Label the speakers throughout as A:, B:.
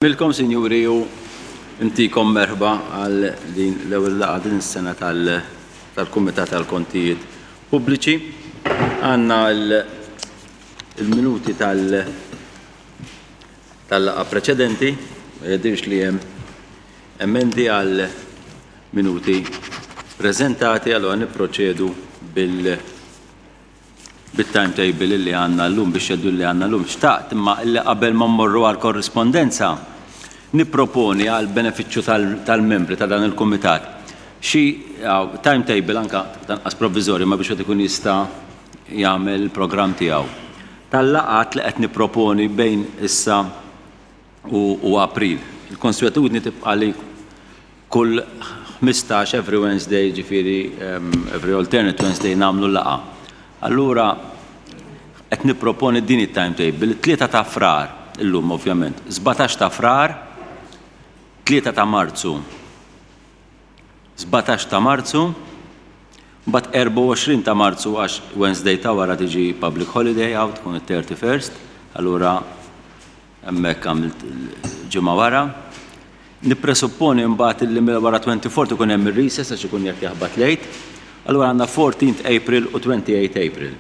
A: Milkom, sinjuri, u ntikom merħba għal din l-ewwel laqgħa din is-sena tal-Kumitat tal-Kontijiet Pubbliċi. Għandna l-minuti tal-laqgħa preċedenti, ma jidhirx li hemm emendi għal minuti preżentati, allura nipproċedu bil- bit-timetable illi għandna llum, bix-schedule li għandna llum. Xtaqt imma illi qabel ma mmorru għall-korrispondenza, nipproponi għall-benefiċċju tal-membri ta' dan il-kumitat xi timetable anke tanqas provviżorju imma biex wieħed ikun jista' jagħmel il-programm tiegħu tal-laqgħat li qed nipproponi bejn issa u April. Il-konswetudni tibqa' li Kull 15, every Wednesday, jiġifieri every alternate Wednesday nagħmlu laqgħa. Allura qed nipproponi din it-timetable, it-Tlieta ta' Frar, illum ovvjament, 17 ta' Frar, 3 ta' Marzu, 17 ta' Marzu, mbagħad 24 ta' Marzu għax Wednesday ta' wara tiġi public holiday hawn tkun it-31st, allura Hemmhekk għamilt ġimgħa wara. Nippresupponi mbagħad illi wara 24 ikun hemm ir-recess għax ikun qed jaħbat l-Għid. Allura għandna 14 April u 28 April.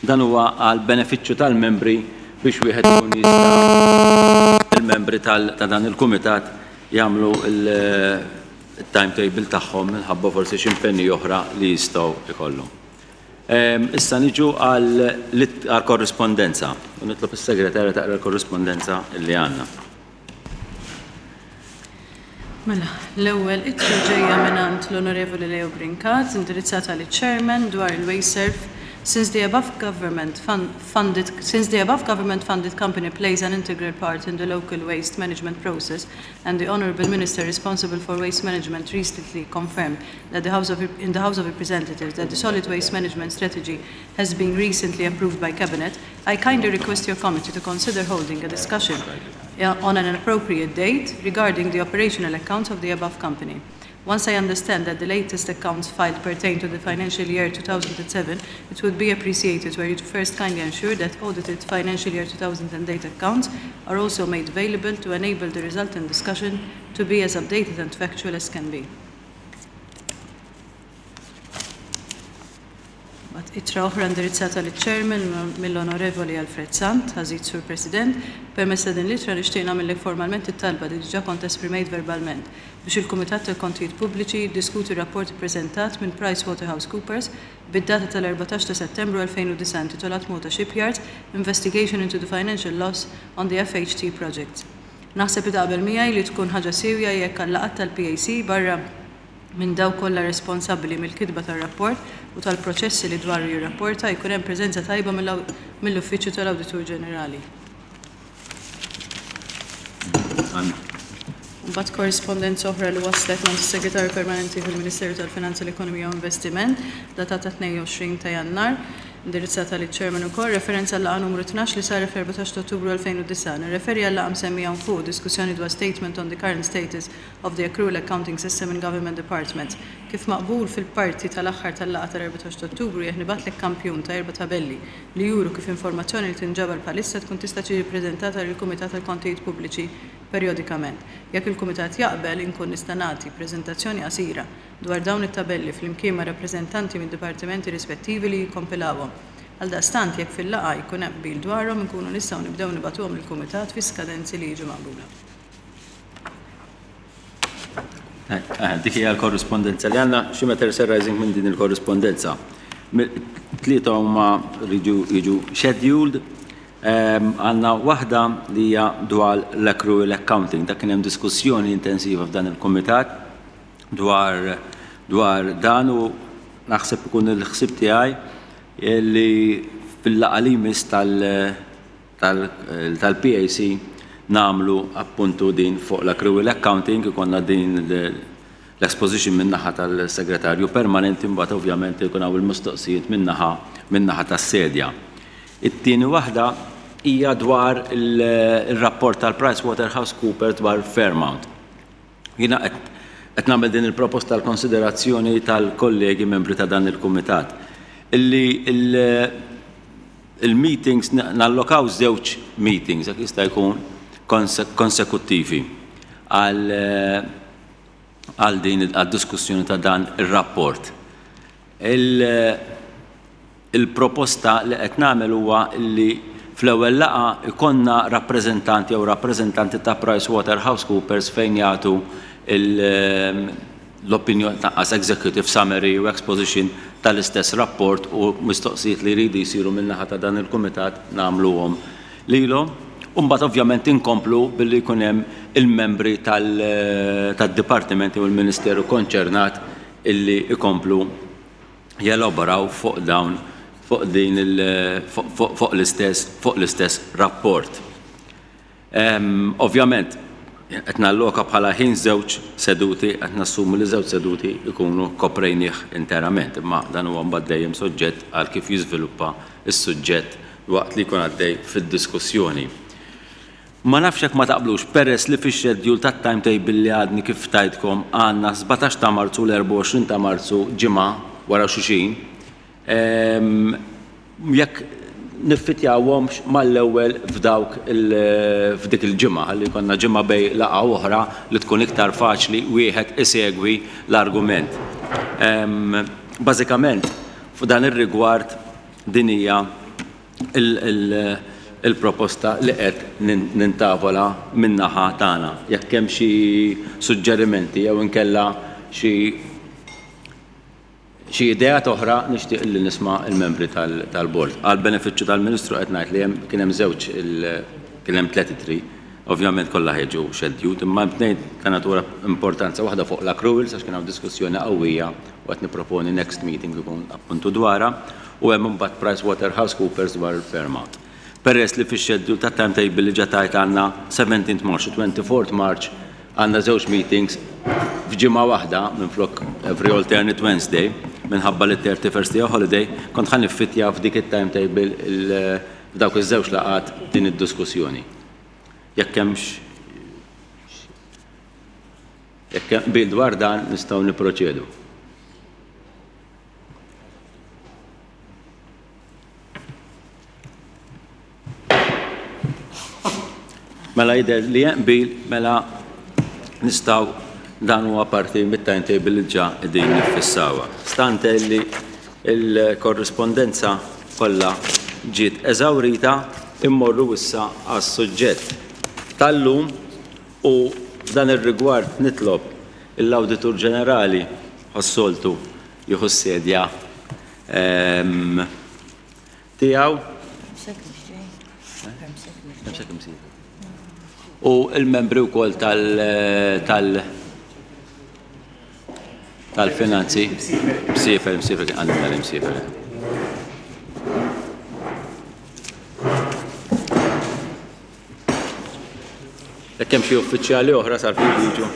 A: Dan huwa għal benefiċċju tal-membri biex wieħed ikun jista' il-membri ta' dan il-kumitat jagħmlu il-timetable tagħhom minħabba forsi xi impenji oħra li jistgħu jkollhom. Issa niġu għall-korrispondenza. U nitlob is-segretarja taqra l-korrispondenza li għandna.
B: Mela, l-ewwel ittra ġejja mingħand l-Onorevoli Leo Brincat, indirizzata liċ-Chairman dwar il-Wasteserv. Since the above government funded since the above government funded company plays an integral part in the local waste management process and the Honourable Minister responsible for waste management recently confirmed that the House of, in the House of Representatives that the solid waste management strategy has been recently approved by Cabinet, I kindly request your committee to consider holding a discussion on an appropriate date regarding the operational accounts of the above company. Once I understand that the latest accounts filed pertain to the financial year 2007, it would be appreciated were you to first kindly ensure that audited financial year 2008 accounts are also made available to enable the resultant discussion to be as updated and factual as can be. Mbagħad ittra oħra indirizzata liċ-Chairman mill-Onorevoli Alfred Sant, Għażiż Sur President, permezz ta' din l-ittra nixtieq nagħmillek formalment it-talba li diġà kont esprimejt verbalment biex il-Kumitat tal-Kontijiet Pubbliċi jiddiskuti r-rapport ippreżentat minn PricewaterhouseCoopers bid-data tal-14 ta' Settembru 2009 intitolat Malta Shipyards, Investigation into the Financial Loss on the FHT Projects. Naħseb li taqbel miegħi li tkun ħaġa siewja jekk għal-laqgħat tal-PAC barra minn dawk kollha responsabbli mill-kitba tar-rapport u tal-proċessi li dwaru jirrapporta jkun hemm preżenza tajba mill-Uffiċċju tal-Awditur Ġenerali. Mbagħad korrispondenza oħra li waslet minn is-Segretarju Permanenti fil-Ministeru tal-Finanzi, l-Ekonomija u Investiment, datata 22 ta' Jannar, indirizzata liċ-Chairman ukoll, referenza għal-laqgħa numru 12 li saret fl-14 ta' Ottubru 2009. Nirreferi għal-laqgħa msemmija hawn fuq, diskussjoni dwar Statement on the Current Status of the Accrual Accounting System in Government Departments. Kif maqbul fil-parti tal-aħħar tal-laqgħa tal-14 ta' Ottubru, jekk nibgħatlek kampjun ta' erba' tabelli li juru kif informazzjoni li tinġabar bħalissa tkun tista' tiġi ppreżentata lill-Kumitat għall-Kontijiet Pubbliċi perjodikament. Jekk il-Kumitat jaqbel, inkun nista' nagħti preżentazzjoni qasira dwar dawn it-tabelli flimkien ma' rappreżentanti mid-dipartimenti rispettivi li jikkompilawhom. Għaldaqstant, jekk fil-laqgħa jkun hemm qbil dwarhom, inkunu nistgħu nibdew nibagħtuhom lill-Kumitat fi skadenzi li jiġu maqbula.
A: Dik hija l-korrispondenza li għandna xi matters arising minn din il-korrispondenza. Tlieta huma rridu jiġu scheduled. Għandna waħda li hija dwar l-accrual accounting. Dak kien hemm diskussjoni intensiva f'dan il-kumitat dwar dwar dan u naħseb ikun il-ħsieb tiegħi li fil-laqgħa li jmiss tal- tal-PAC nagħmlu appuntu din fuq l-accrual accounting, ikollna din l-exposition min-naħa tal-Segretarju Permanenti mbagħad ovvjament ikun hawn il-mistoqsijiet min-naħa min-naħa tas-sedja. It-tieni waħda hija dwar ir-rapport tal-PricewaterhouseCoopers dwar Fairmount. Jiena qed nagħmel din il-proposta għal konsiderazzjoni tal-kollegi membri ta' dan il-kumitat. Illi Il-meetings, nallokaw żewġ meetings, jekk jista' jkun, konsekuttivi għal għal din għad-diskussjoni ta' dan ir-rapport. Il-proposta li qed nagħmel huwa li fl-ewwel laqgħa jkollna rappreżentant jew rappreżentanti ta' PricewaterhouseCoopers fejn jagħtu l-opinjoni tanqas executive summary u exposition tal-istess rapport u mistoqsijiet li jridu jsiru min-naħa ta' dan il-kumitat nagħmluhom lilhom. U mbagħad ovvjament inkomplu billi jkun hemm il-membri tad-dipartiment jew il-ministeru konċernat illi jkomplu jelaboraw fuq dawn fuq din fuq l-istess fuq l-istess rapport. Ovvjament qed nalloka bħala ħin żewġ seduti qed nassumu li żewġ seduti jkunu koprejnih interament, imma dan huwa mbagħad dejjem soġġett għal kif jiżviluppa s-suġġett waqt li jkun għaddej fid-diskussjoni. Ma nafx jekk ma taqblux, peress li fix-schedule tat-timetable li għadni kif tajtkom għandna 17 ta' Marzu u l-24 ta' Marzu ġimgħa wara xulxin, jekk niffitjawhomx mal-ewwel f'dawk f'dik il-ġimgħa ħalli jkollna ġimgħa bejn laqgħa u oħra li tkun iktar faċli wieħed isegwi l-argument. Bażikament, f'dan ir-rigward din hija il-proposta li qed nintavola min-naħa tagħna. Jekk hemm xi suġġerimenti jew inkella xi xi ideat oħra nixtieq li nisma' l-membri tal-bord. Għall-benefiċċju tal-Ministru qed ngħid li hemm kien hemm żewġ kien hemm tlett ittri, ovvjament kollha ħa jiġu scheduled, imma hemm tnejn ta' natura importanza, waħda fuq l-accruals għax kien hawn diskussjoni qawwija u qed nipproponi next meeting ikun appuntu dwarha, u hemm imbagħad PricewaterhouseCoopers dwar il-Fairmount. Peress li fix-schedule tat-timetable li ġa tajt għandna 17th March u 24th March għandna żewġ meetings f'ġimgħa waħda minflok every alternate Wednesday minħabba li 31st hija holiday, kont ħa niffittja f'dik it-timetable f'dawk iż-żewġ laqgħat din id-diskussjoni. Jekk hemmx jekk hemm qbil dwar dan nistgħu nipproċedu. Mela jidher li hemm qbil, mela nistgħu dan huwa parti mit-timetable li ġa qegħdin niffissawha. Stante li l-korrispondenza kollha ġiet eżawrita, immorru issa għas-suġġett tal-lum u f'dan ir-rigward nitlob l-Awditur Ġenerali bħas-soltu jieħu s-sedja tiegħu. U l-membri wkoll tal tal-finanzi. Msiefer, msiefer, kien għandna l-imsiefer. Jekk hemm xi uffiċjali oħra sar jiġu.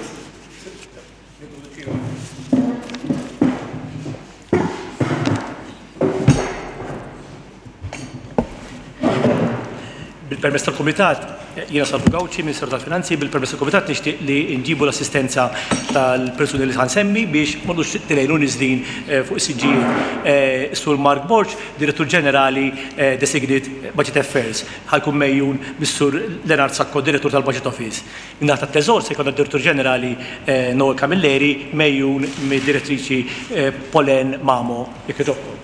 C: Bil-permess tal-Kumitat, jiena Salvu Gauci, Ministeru tal-Finanzi, bil-permess tal-Kumitat nixtieq li nġibu l-assistenza tal-persuni li ħansemmi biex ma nux tilejn u niżlin eh, fuq is-siġġijiet. Eh, Sur Mark Borg, Direttur Ġenerali eh, Designate Budget Affairs, ħajkun mejjun mis-Sur Leonard Sacco, Direttur tal-Budget Office. Min-naħa tat-Teżor se jkollna d-Direttur Ġenerali Noel Camilleri megħjun mid-Direttriċi Pauline Mamo. Jekk jogħġobkom.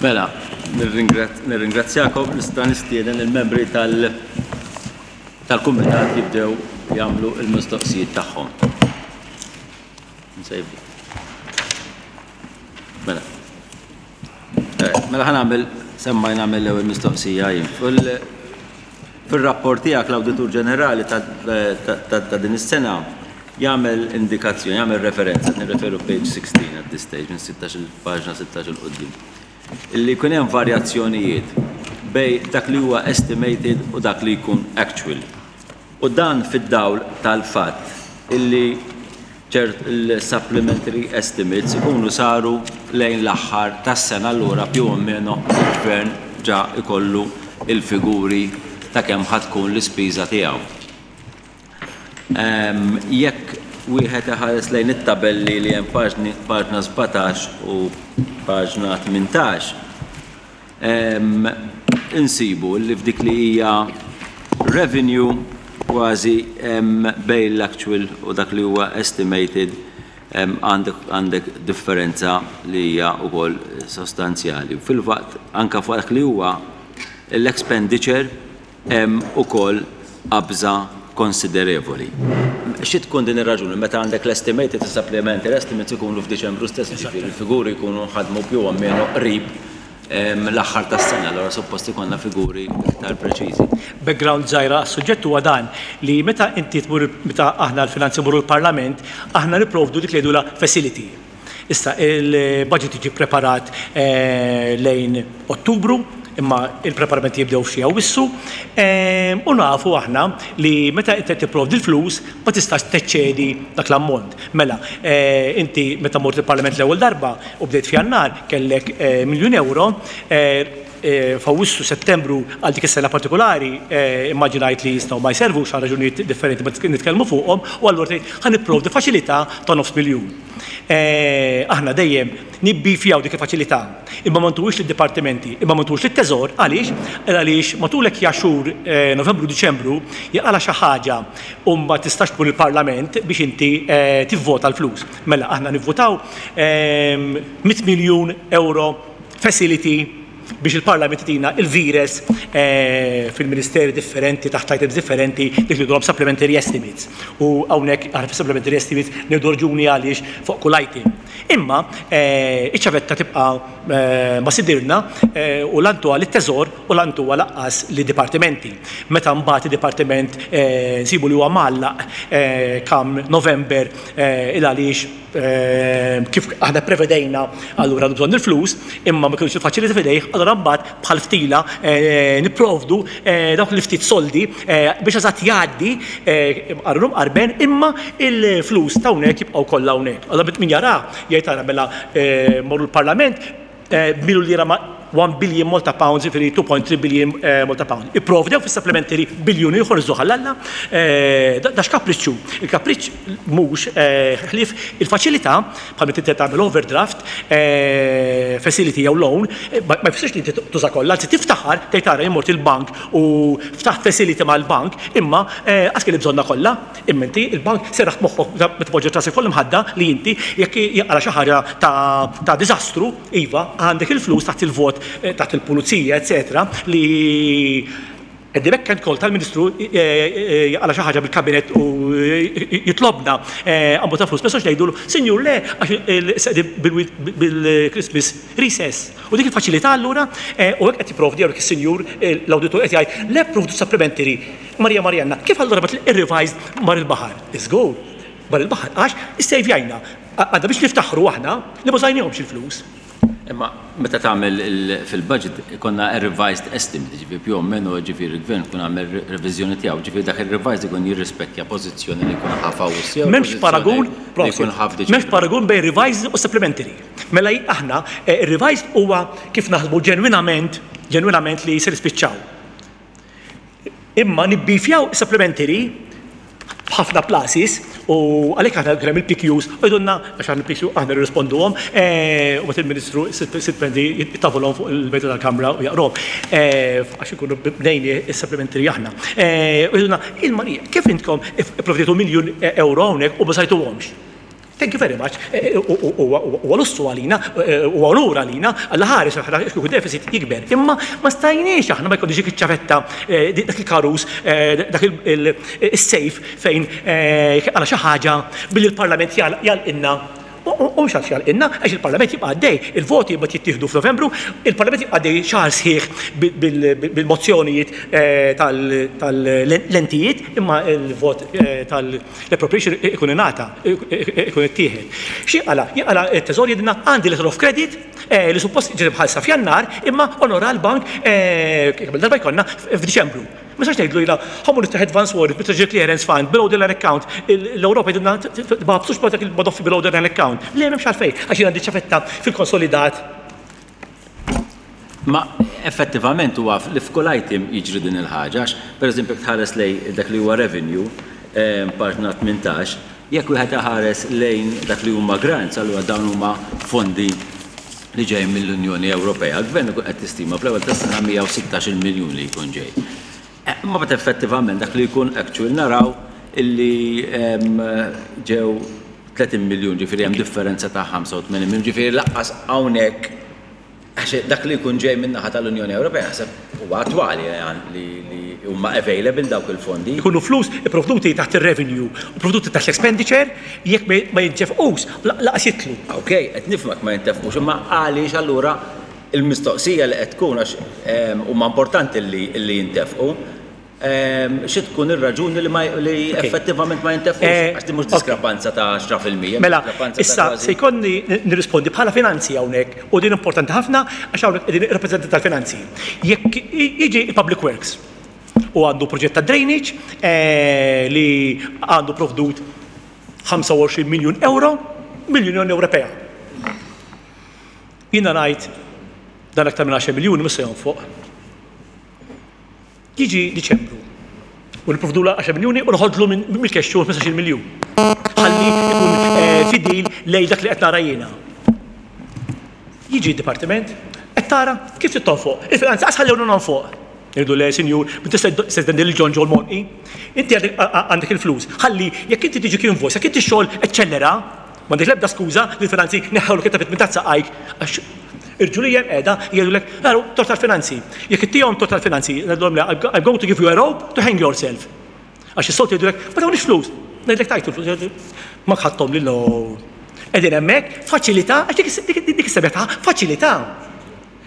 A: Mela, nirringrazzjakom, nista' nistieden il-membri tal-kumitat jibdew jagħmlu l-mistoqsijiet tagħhom. Mela. Eh, mela ħa nagħmel semmaj nagħmel l-ewwel mistoqsija jien. Fil-rapport tiegħek l-Awditur Ġenerali ta' din is-sena jagħmel indikazzjoni, jagħmel referenza, nirreferu page 16 at this stage, minn 16 il-paġna 16 il quddiem. Illi jkun hemm varjazzjonijiet bejn dak li huwa estimated u dak li jkun actual. U dan fid-dawl tal-fatt illi ċert il-supplementary estimates ikunu saru lejn l-aħħar tas-sena, allura più o meno il-Gvern ġa jkollu l-figuri ta' kemm ħa tkun l-ispiża tiegħu. Jekk wieħed iħares lejn it-tabelli li hemm paġna 17 u paġna 18, insibu li f'dik li hija revenue kważi bejn l-actual u dak li huwa estimated għandek differenza li hija wkoll sostanzjali. Fil-waqt anke fuq dak li huwa l-expenditure hemm ukoll qabża konsiderevoli. Xi tkun din ir-raġuni? Meta għandek l-estimated u supplementary estimates ikunu f'Diċembru stess, jiġifieri l-figuri jkunu nħadmu più o meno qrib l-aħħar tas-sena, allura suppost ikollna figuri iktar preċiżi.
C: Background żgħira għas-suġġett huwa dan li meta inti tmur meta aħna l-finanzi mmorru l-Parlament, aħna nipprovdu dik li jgħidulha facility. Issa, il-budget jiġi ppreparat lejn Ottubru, imma il-preparamenti jibdew f'xi Awwissu, u nafu aħna li meta inti qed tipprovdi l-flus ma tistax teċċedi dak l-ammont. Mela, inti meta mort il-Parlament l-ewwel darba u bdejt f'Jannar kellek miljun ewro, f'Awwissu, Settembru għal dik is-sena partikolari immaġinajt li jistgħu ma jservux għal raġunijiet differenti ma nitkellmu fuqhom u allura tgħid ħa nipprovdi faċilità ta' nofs miljun. Aħna dejjem nibbifjaw dik il-faċilità, imma ma ntuhiex lid-dipartimenti, imma ma ntuhiex lit-Teżor, għaliex? Għaliex matul hekk ja xhur Novembru, Diċembru jaqalha xi ħaġa u ma tistax tmur il-Parlament biex inti tivvota l-flus. Mela aħna nivvutaw 100 miljun euro facility biex il-Parlament itina il-vires fil-ministeri differenti, taħt items differenti, dik li jgħidulhom supplementary estimates. U hawnhekk aħna fis-supplementary estimates ngħidu raġuni għaliex fuq kull item. Imma iċ-ċavetta tibqa' ma' sidirna u la ntuha lit-Teżor u la ntuha lanqas lid-dipartimenti. Meta mbagħad id-dipartiment nsibu li huwa mgħallaq come November il għaliex kif aħna pprevedejna allura għandu bżonn il-flus, imma ma kienux il-faċilità f'idejh, allura mbagħad bħal ftila nipprovdu dawk il-ftit soldi biex eżatt jgħaddi mqarrun u mqarben imma il-flus ta' hawnhekk jibqgħu kollha hawnhekk. Allura min jara jgħid ara mela morru l-Parlament b'milu lira ma' 1 billion Malta pounds, jiġifieri 2.3 billion Malta pounds. Ipprovdew fis-supplementary biljun ieħor iżżuh għal Alla. Da x'kapriċċ hu? Il-kapriċċ mhux ħlief il-faċilità bħal meta inti tagħmel overdraft, facility jew loan, ma jfissirx li inti tuża kollha, anzi tiftaħar tgħid ara jien mort il-bank u ftaħt facility mal-bank, imma qas kelli bżonnha kollha. Imma inti il-bank serraħt moħħok meta poġġejt rasek fuq l-imħadda li inti jekk jinqala' xi ħaġa ta' diżastru, iva, għandek il-flus taħt il-vot, taħt il-pulizija, eċċetera, li at the beck and call tal-Ministru jaqala' xi ħaġa bil-kabinett u jitlobna ammont ta' flus, ma nistgħux ngħidulu, Sinjur le, għax bil-Christmas recess. U dik il-faċilità allura, u hekk qed jipprovdi hawnhekk is-Sinjur l-Awditur qed jgħid, le pprovdu supplementary Marija Marianna, kif allura bagħat ir-revised mar il-baħar? Żgur, mar il-baħar għax issejvjajna. Għandna biex niftaħru aħna li ma użajnihomx il-flus.
A: Imma meta tagħmel fil-budget ikollna revised estimate, jiġifieri più o meno jiġifieri l-Gvern ikun għamel reviżjoni tiegħu, jiġifieri dak ir-revised ikun jirrispekkja pożizzjoni li jkun ħa f'Awwissu jew
C: M'hemmx paragun, prosit, m'hemmx paragun bejn revised u supplementary. Mela aħna ir-revised huwa kif naħsbu ġenwinament, ġenwinament li se nispiċċaw. Imma nibbifjaw supplementary b'ħafna places u għalhekk aħna kien hemm il-PQs u jgħidulna għax aħna il-PQ aħna nirrisponduhom eh, u mbagħad il-Ministru Sitpendi jittafulhom fuq il-mejda tal-Kamra u jaqrahom eh, għax ikunu bnejni is-supplementary aħna. Eh, u jgħidulna il-Marija, kif intkom ipprovdejtu miljun euro hawnhekk u ma sajtuhomx? Thank you very much. Huwa lussu għalina, huwa onur għalina, Alla ħares aħna kieku deficit jikber. Imma ma stajniex aħna ma jkollniex dik iċ-ċavetta, dak il-karus, dak is-sejf fejn għala xi ħaġa billi l-Parlament jgħalqilna. U mhux għax jagħlqilna, għax il-Parlament jibqa' għaddej, il-voti mbagħad jittieħdu f'Novembru, il-Parlament jibqa' għaddej xahar sħiħ bil-mozzjonijiet tal-lentijiet, imma l-vot tal-appropriation ikun ingħata, ikun ittieħed. X'jinqala'? Jinqala' t-Teżor jgħidilna għandi letter of credit li suppost ġiet imħallsa f'Jannar, imma onora l-bank kemm-il darba jkollna f'Diċembru. Ma nistax ngħidlu jiena ħa mmur niftaħ advance warrant mit-Treasury Clearance Fund below the line account, l-Ewropa jgħidulna tbagħbsux ma' dak il-madoffi below the line account. Le m'hemmx għalfejn, għax jien għandi ċavetta fil-konsolidat.
A: Ma effettivament huwa li f'kull item jiġri din il-ħaġa, għax pereżempju jekk tħares lejn dak li huwa revenue, paġna 18, jekk wieħed iħares lejn dak li huma grants, allura dawn huma fondi li ġej mill-Unjoni Ewropea, l-Gvern ikun qed jistima fl-ewwel tas-sena 116-il miljun li jkun ġej. Imma mbagħad effettivament dak li jkun actual naraw illi ġew 30 miljun, ġifieri hemm differenza ta' 85 miljun, ġifieri lanqas hawnhekk għax dak li jkun ġej min-naħa tal-Unjoni Ewropea naħseb huwa attwali li huma available dawk il-fondi.
C: Ikunu flus ipprovduti taħt ir-revenue u pprovduti taħt l-expenditure, jekk ma jintefqux laqas jidħlu.
A: Ok, qed nifhmek ma jintefqux, imma għaliex allura il-mistoqsija li qed tkun għax huma importanti li jintefqu, xi tkun ir-raġuni li ma li effettivament ma jintefqux? Għax din mhux diskrepanza ta' 10%.
C: Mela, issa se jkollni nirrispondi bħala finanzi hawnhekk u din importanti ħafna għax hawnhekk qegħdin ir-rappreżentanti tal-finanzi. Jekk jiġi il-Public Works u għandu proġett ta' drainage li għandu provdut 25 miljun euro mill-Unjoni Ewropea. Jiena ngħid dan aktar minn 10 miljuni mhux se jonfoq. Jiġi Diċembru u nipprovdula 10 miljuni u noħodlu mill-cash flow 15-il miljun. Ħalli ikun fidil lejn dak li qed nara jiena. Jiġi d-dipartiment, qed tara kif trid tonfoq. Il-finanzi qas ħallewna nonfoq. Ngħidu le, sinjur, ma tista' testendi lil John John Monqi. Inti għandek il-flus. Ħalli jekk inti tiġik invoice, jekk inti x-xogħol eċċellera, m'għandek l-ebda skuża li l-finanzi neħħewlek it-tapit minn taħt saqajk għax irġulija hemm qiegħda jgħidulek, araw, tort tal-finanzi. Jekk ittihom tort tal-finanzi, ngħidulhom le, I'm going to give you a rope to hang yourself. Għax is-soltu jgħidulek, ma tawniex flus. Ngħidlek tajtu l-flus, ma ħadthom li no. Qegħdin hemmhekk, faċilità, għax dik is-sebħ tagħha, faċilità.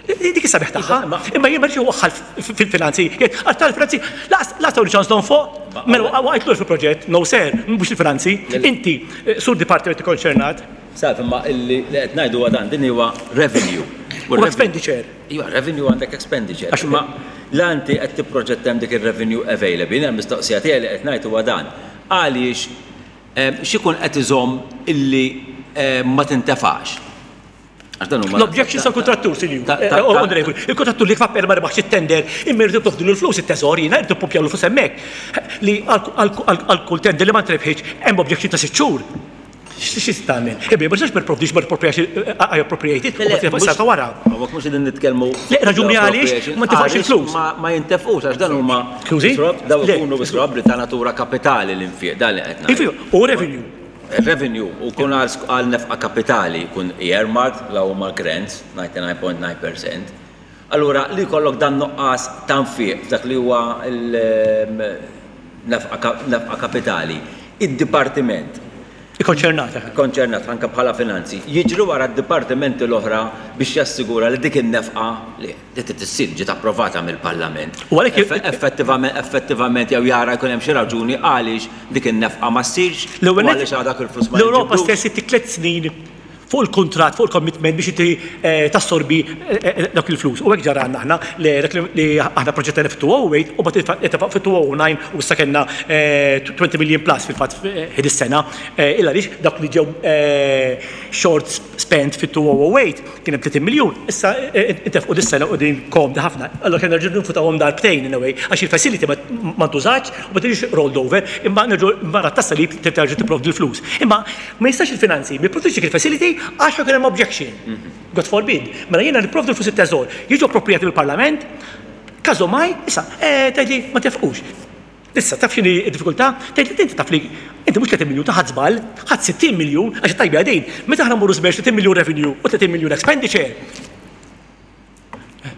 C: Dik is-sabiħ tagħha. Imma jien ma rridx waħħal fil-finanzi. Għax tal-finanzi laqas tawni ċans nonfoq. Mela waqgħet lura fil-proġett, no sir, mhux il-finanzi. Inti, sur dipartiment ikkonċernat.
A: Salv, imma li qed ngħidu huwa dan, din huwa revenue.
C: U expenditure.
A: Iva, revenue għandek expenditure. Imma la inti qed tipproġetta hemm dik ir-revenue available, jiena l-mistoqsija tiegħi li qed ngħid huwa dan. Għaliex x'ikun qed iżomm illi ma tintefax?
C: L-objection sa' kontrattur, sinjur. Onorevoli, il-kontrattur li kfapper ma rebaħx it-tender, imma jridu toħdu l-flus it-teżor, jiena jridu pumpjaw l-flus hemmhekk. Li għal kull tender li ma ntrebħitx hemm objection ta' sitt xhur. Xi tagħmel? Ebbi, ma tistax ma provdix ma I appropriated, u ma sa wara.
A: Hawnhekk mhux qegħdin nitkellmu.
C: Le, raġuni għaliex ma tifgħax il-flus.
A: Ma jintefqux għax dan huma. Dawn ikunu probabbli ta' natura kapitali l-infiq dan li qed
C: ngħid. U revenue.
A: Revenue u jkun għal nefqa kapitali jkun earmarked la huma grants, 99.9%. Allura li jkollok dan nuqqas ta' nfiq f'dak li huwa l-nefqa kapitali, id-dipartiment.
C: Ikkonċernat.
A: Ikkonċernat anke bħala finanzi, jiġri wara d-dipartimenti l-oħra biex jassigura li dik in-nefqa li Li trid issir ġiet approvata mill-Parlament.
C: U għalhekk
A: Effettivament, effettivament jew jara jkun hemm xi raġuni għaliex dik in-nefqa ma ssirx u għaliex għadha dak il-flus ma
C: L-Ewropa stess ittik tliet snin fuq il-kuntratt, fuq il-commitment biex inti tassorbi dawk il-flus. U hekk ġara għandna aħna li dak li aħna proġettajna fit-2008 u mbagħad intefaq fit-2009 u issa kellna 20 million plus fil-fatt ħin is-sena. Illa għaliex dawk li ġew short spent fit-2008 Kien hemm 30 miljun, issa intefqu dis-sena u din komdi ħafna. Allura kellna nerġgħu ninfutawhom darbtejn in a way, għax il-facility ma ntużatx u ma tiġix rolled over, imma nerġgħu mara tas-salib trid terġa' tipprovdi l-flus. Imma ma jistax il-finanzi ma jipprovdux dik il-facility għax ħa jkun hemm objection. God forbid. Mela jiena nipprovdu l-flus it-teżor, jiġu appropriati mill-Parlament, każomaj, issa, tgħidli ma tefqux. Issa, taf x'inhi d-diffikultà? Tgħid li inti taf li inti mhux 30 miljun ta' ħadt żball, ħadt 60 miljun għax it-tajba hija din. Meta aħna mmorru żmerġ 30 miljun revenue u 30 miljun expenditure.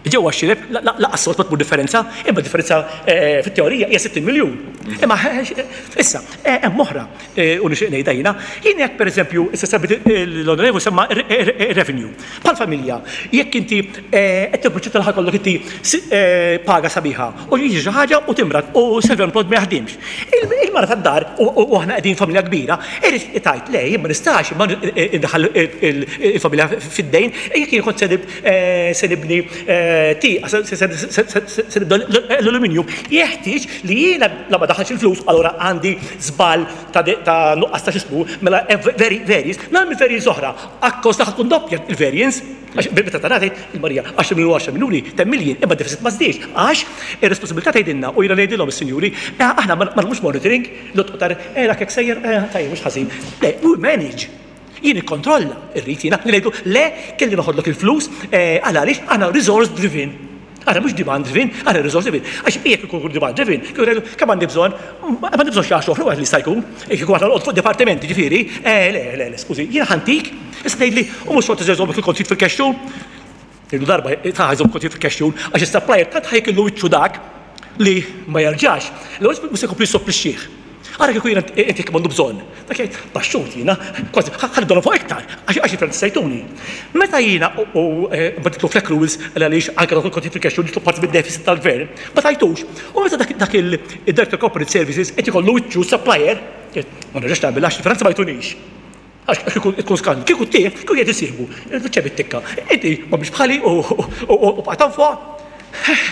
C: Ġewwa x-xirep lanqas sod ma tmur differenza, imma differenza fit-teorija hija 60 miljun. Imma issa, hemm oħra u nixtieq ngħidha jiena, jien jekk pereżempju issa semmit l-Onorevoli semma r-revenue. Bħal familja, jekk inti qed tipproċetta li ħa jkollok inti paga sabiħa u jiġi xi ħaġa u timrad u self-employed ma jaħdimx. Il-mara tad-dar u aħna qegħdin familja kbira, irid tgħid le jien ma nistax indaħħal il-familja fid-dejn jekk jien kont se nibni tieqa, se nibda l-aluminium, jeħtieġ li jiena la ma daħħalx il-flus, allura għandi żball ta' nuqqas ta' x'ismu, mela variance, nagħmel variance oħra, akkost li tkun doppja il-variance, għax meta tara tgħid il-Marija 10 miljun u 10 miljuni, 10 million, imma d-deficit ma żdiedx, għax ir-responsabilità tgħidilna u jiena ngħidilhom is-sinjuri, aħna ma nagħmlux monitoring, l-otqtar, dak hekk sejjer, tajjeb mhux ħażin. Le, we manage. Jien nikkontrolla, irrid jiena li ngħidu le kelli noħodlok il-flus għal għaliex aħna resource driven. Aħna mhux demand driven, aħna resource driven. Għax jekk ikun demand driven, kieku ngħidu kemm għandi bżonn, ma għandi bżonn xi għaxra oħra wieħed li jista' jkun. Kieku aħna noqgħod fuq dipartimenti, ġifieri, le, le, le, skużi, jiena ħantik, issa tgħidli u mhux xorta se jżommok il-kontijiet fil-cash room. Ngħidu darba ta' jżomm kontijiet fil-cash room għax is-supplier tant ħajkillu wiċċu dak li ma jerġax. L-ewwel mhux se jkompli jissopplixxih. Ara kieku jiena inti kemm għandu bżonn. Dak jgħid, baxxut jiena, kważi ħa nibda fuq iktar, għax il-franti se jtuni. Meta jiena u mbagħad nidħlu fl-accruals għaliex anke dawk il-kontijiet fil-cash flow jidħlu parti mid-deficit tal-gvern, ma tajtux. U meta dak il-Director Corporate Services qed ikollu wiċċu supplier, ma nerġax nagħmilha għax il-franti ma jtunix. Għax kieku tkun skandlu. Kieku tih, kieku jgħid isieħbu, ċebi t-tikka. Inti ma biex bħali u bqajt fuq.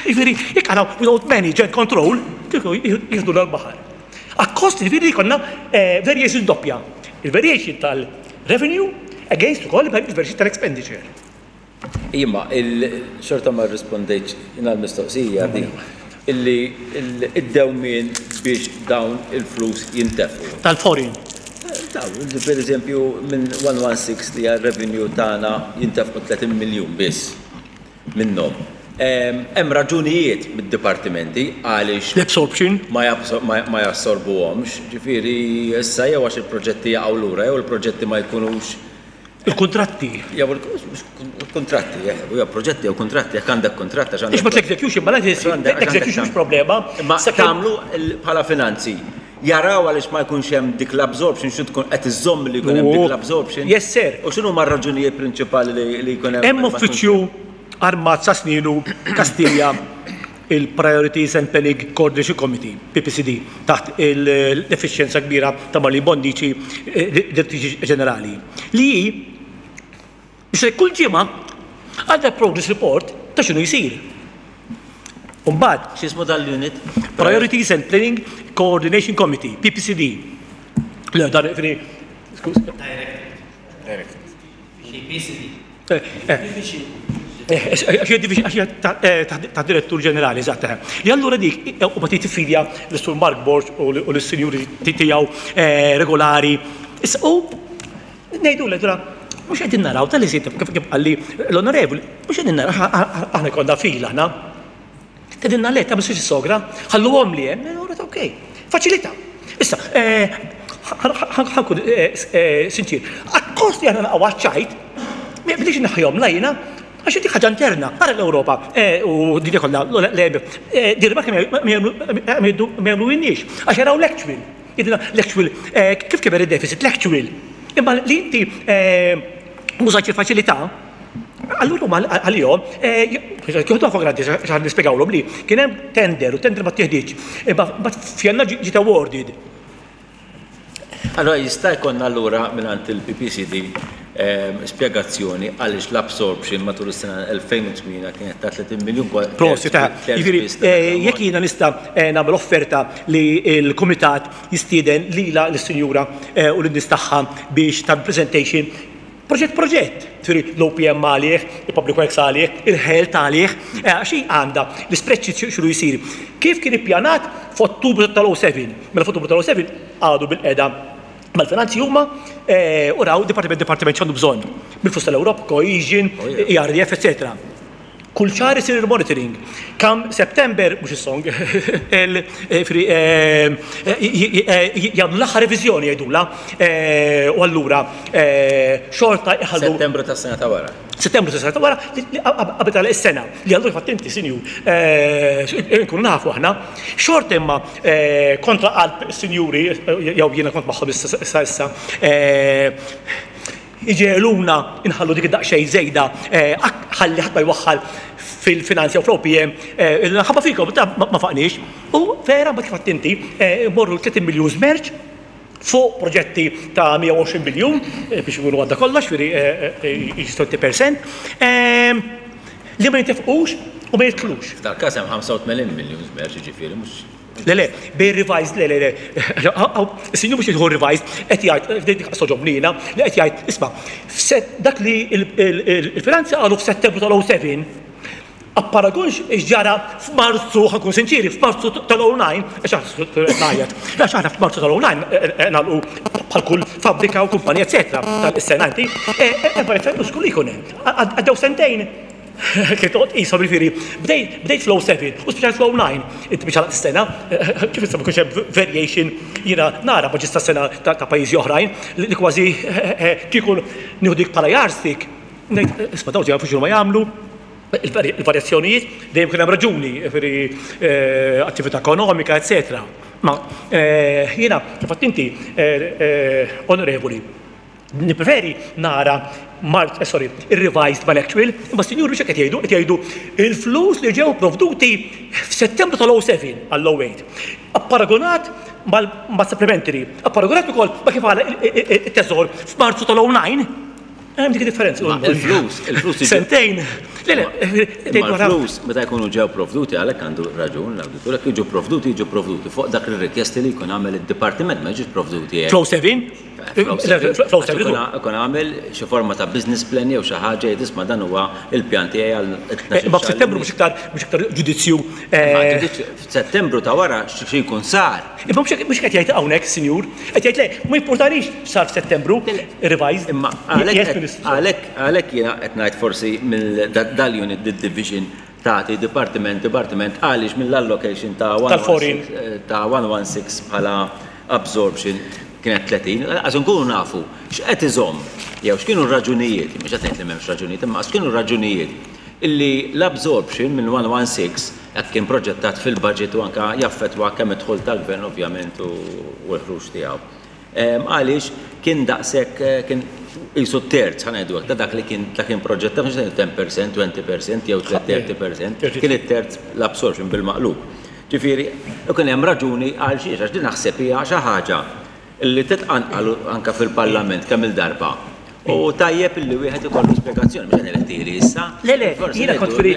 C: Jiġifieri, jekk aħna we don't manage and control, kieku jieħdu l-baħar. Akkost jiġifieri jkollna variation doppja. Il-variation tal-revenue against ukoll il-variation tal-expenditure.
A: Imma xorta ma rrispondejtx jiena l-mistoqsija di illi id-dewmien biex dawn il-flus jintefqu.
C: Tal-foreign.
A: Dawn, per eżempju, minn 116 li għal revenue tagħna jintefqu 30 miljun biss minnhom. Hemm raġunijiet mid-dipartimenti għaliex
C: L-absorption.
A: ma jassorbuhomx, ġifieri issa jew għax il-proġetti jaqgħu lura jew il-proġetti ma jkunux
C: Il-kontratti.
A: Jew il-kontratti, jew proġetti jew kontratti, jekk għandek kontratt għax
C: għandek. Ix l-execution, ma l-execution mhux problema.
A: Ma tagħmlu bħala finanzi. Jaraw għaliex ma jkunx hemm dik l-absorption, xi tkun qed iżomm li jkun hemm dik l-absorption.
C: Yes, sir.
A: U x'inhu ma raġunijiet prinċipali li jkun hemm?
C: Hemm uffiċċju armat sa sninu Kastilja il-Priorities and Planning Coordination Committee, PPCD, taħt l-efficienza kbira ta' Marlene Bonnici, direttriċi ġenerali. Li biex kull ġimgħa għandha progress report ta' x'inhu jsir. Umbagħad,
A: X'ismu dal-unit?
C: Priorities and Planning Coordination Committee, PPCD. Le, dar, fini, skuż.
D: Direct. PPCD.
C: Għax ta' direttur ġenerali, eżatt. Li allura dik, u ma tiffidja l-Sur Mark Borg u l-sinjuri tiegħu regolari. Issa, u ngħidu l mhux qegħdin naraw tal-li kif qalli l-onorevoli, mhux qegħdin naraw aħna konna fil aħna. Tedinna le, ta' biex sogra, ħallu li hemm, allura ta' okej. Faċilità. Issa, ħa nkun sinċir, akkost li aħna naqgħu ċajt, ma bdiex naħjom lajna, għax dik ħaġa interna, ara l-Ewropa, u din kollha l-EB, ma jagħmlu inniex, għax jaraw l-actual. L-actual, kif kiber il-deficit, l-actual. Imma li inti użajt il-faċilità, allura huma għalihom jieħdu for granted x'ħan nispjegawlhom li kien hemm tender u tender ma tieħdiġ. Imma f'Jannar ġiet awarded.
A: Allora jista' jkollna allura mingħand il-PPCD spjegazzjoni għaliex l-absorption matul is-sena 2008 kienet ta' 30 miljun.
C: Prosit, ta' jiġifieri jekk jiena nista' nagħmel offerta li l-kumitat jistieden lila lis-sinjura u lin-nies tagħha biex ta' presentation proġett proġett, ġifieri l-OPM għalih, il-Public Works għalih, il-Health għalih, għax hi għandha l-spreadsheet x'inhu jsir. Kif kien ippjanat f'Ottubru tal-07? Mela f'Ottubru tal-07 għadu bil-qeda mal-finanzi huma u raw dipartiment dipartiment x'għandu bżonn. Bil-flus tal-Ewropa, Cohesion, ERDF, etc. Kull xahar isir il-monitoring. Come September, mhux is-song, jagħmlu l-aħħar reviżjoni jgħidulha u allura xorta jħallu.
A: Settembru tas-sena ta' wara.
C: Settembru tas-sena ta' wara qabel tagħlaq is-sena. Li allura fatt inti sinjur nkunu nafu aħna. Xorta imma kontra qalb is-sinjuri jew jiena kont magħhom issa issa Iġegħluna nħallu dik id-daqsxejn żejda ħalli ħadd ma jwaħħal fil-finanzi jew fl-OPM ħabba fikom ta' ma faqniex. U vera mbagħad kif għedt inti morru 30 miljun żmerċ fuq proġetti ta' 120 miljun biex ikunu għadda kollox, ġifieri 20% li ma jintefqux u ma jidħlux.
A: F'dal-każ hemm 85 miljun żmerċ jiġifieri mhux
C: Le, le, bej revised, le, le, le. Is-sinjur mhux jidħol revised, qed jgħid, dik soġobni jiena, li qed jgħid, isma' dak li il-finanzi qalu f'Settembru tal-07, apparagun x'ġara f'Marzu, ħankun sinċiri, f'Marzu tal-09, għax ngħajjat, għax aħna f'Marzu tal-09 nagħlqu bħal kull fabbrika u kumpanija, eċetera, tal-sena inti, mhux kull jkun hemm. Għaddew sentejn. Kif toqgħod tqishom jiġifieri, bdejt bdejt fl-07 u spiċċajt fl-09. Inti biex għalaqt is-sena, kif issa ma jkunx hemm variation jiena nara budgets tas-sena ta' pajjiżi oħrajn li kważi kieku nieħu dik bħala yardstick, ngħid isma' dawn jafu x'inhuma jagħmlu, il-varjazzjonijiet dejjem kien hemm raġuni, jiġifieri attività ekonomika, eċetera. Ma jiena kif għedt inti, Onorevoli, Nippreferi nara mart, eh, sorry, ir-revised mal-actual, imma s-sinjuri mhux hekk qed jgħidu, qed jgħidu il-flus li ġew provduti f'Settembru tal-07 għall-08. Apparagunat mal-supplementary, apparagunat ukoll ma kif għala it-teżor f'Marzu tal-09. Hemm dik differenza.
A: Il-flus, il-flus.
C: Sentejn.
A: Le, le, il-flus meta jkunu ġew provduti għalhekk għandu raġun l-awditur, jekk jiġu provduti jiġu provduti fuq dak ir-rikjesti li jkun għamel id-dipartiment ma jiġux provduti.
C: Flow 7?
A: Ikun għamel xi forma ta' business plan jew xi ħaġa jgħid isma' dan huwa l-pjan tiegħi għal.
C: Imma f'Settembru mhux iktar mhux iktar ġudizzju.
A: F'Settembru ta' wara xi jkun sar.
C: Imma mhux qed jgħid hawnhekk, sinjur, qed jgħid le, ma jimpurtanix x'sar f'Settembru, revised.
A: Imma għalhekk għalhekk jiena qed ngħid forsi mill dal-unit division tagħti dipartiment dipartiment għaliex mill-allocation ta' ta' 116 bħala absorption kienet 30, lanqas inkunu nafu x'qed iżomm jew x'kienu r-raġunijiet, mhux qed ngħid li m'hemmx raġunijiet, imma x'kienu r-raġunijiet illi l-absorption minn 116 hekk kien proġettat fil-budget u anke jaffettwa kemm id-dħul tal-gvern ovvjament u l-ħruġ tiegħu. Għaliex kien daqshekk kien qisu terz, ħa ngħidu hekk, ta' dak li kien dak kien proġettat, mhux qed ngħidu 10%, 20% jew 30%, kien it-terz l-absorption bil-maqlub. Ġifieri, ikun hemm raġuni għal xiex, għax din naħseb hija xi ħaġa li titqanqal anke fil-Parlament kemm-il darba. U tajjeb illi wieħed ikollu spjegazzjoni, mhux qed ngħidlek tili issa.
C: Le, le, jiena kont fri,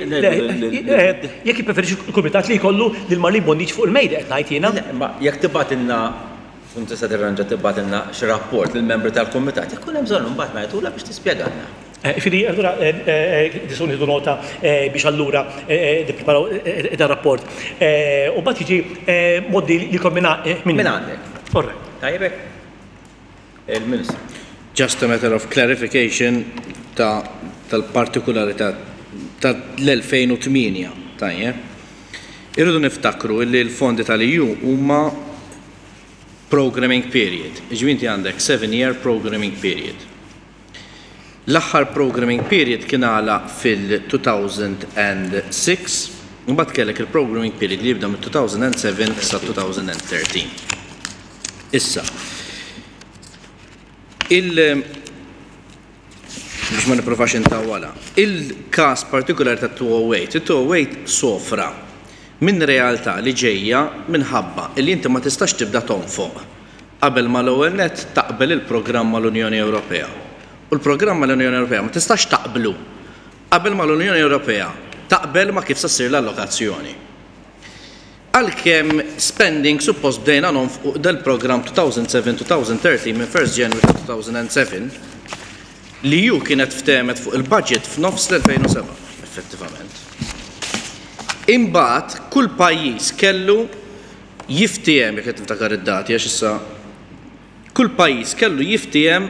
C: jekk jippreferixxi l-Kumitat li jkollu lil Marlene Bonnici fuq il-mejda qed ngħid jiena.
A: Le, imma jekk tibgħatilna, tkun tista' tirranġa tibgħatilna xi rapport lill-membri tal-Kumitat, jekk ikun hemm bżonn imbagħad ngħidulha biex tispjegalna.
C: Jiġifieri allura nistgħu nieħdu nota biex allura nippreparaw dan rapport. U mbagħad jiġi mgħoddi lilkom minn
A: Minn għandek.
C: All right.
A: Tajjeb hekk? Il-Ministru.
E: Just a matter of clarification ta' tal-partikularità tal-2008, tajjeb. Irridu niftakru illi l-fondi tal-EU huma programming period. Jiġifieri inti għandek seven year programming period. L-aħħar programming period kien għalaq fil-2006, imbagħad kellek il-programming period li jibda mit-2007 sa 2013. Issa, il biex ma nipprovax intawwalha, il-każ partikolari ta' 208, it-208 sofra minn realtà li ġejja minħabba li inti ma tistax tibda tonfoq Qabel ma l-ewwel nett taqbel il-programm mal-Unjoni Ewropea. U l-programm mal-Unjoni Ewropea ma tistax taqblu qabel ma l-Unjoni Ewropea taqbel ma kif se ssir l-allokazzjoni. Għalkemm spending suppost bdejna nonfqu dal-programm 2007-2013 minn 1st January ta' 2007, l-EU kienet ftehmet fuq il-budget f'nofs l-2007, effettivament. Imbagħad kull pajjiż kellu jiftiehem, jekk qed niftakar id-dati għax issa kull pajjiż kellu jiftiehem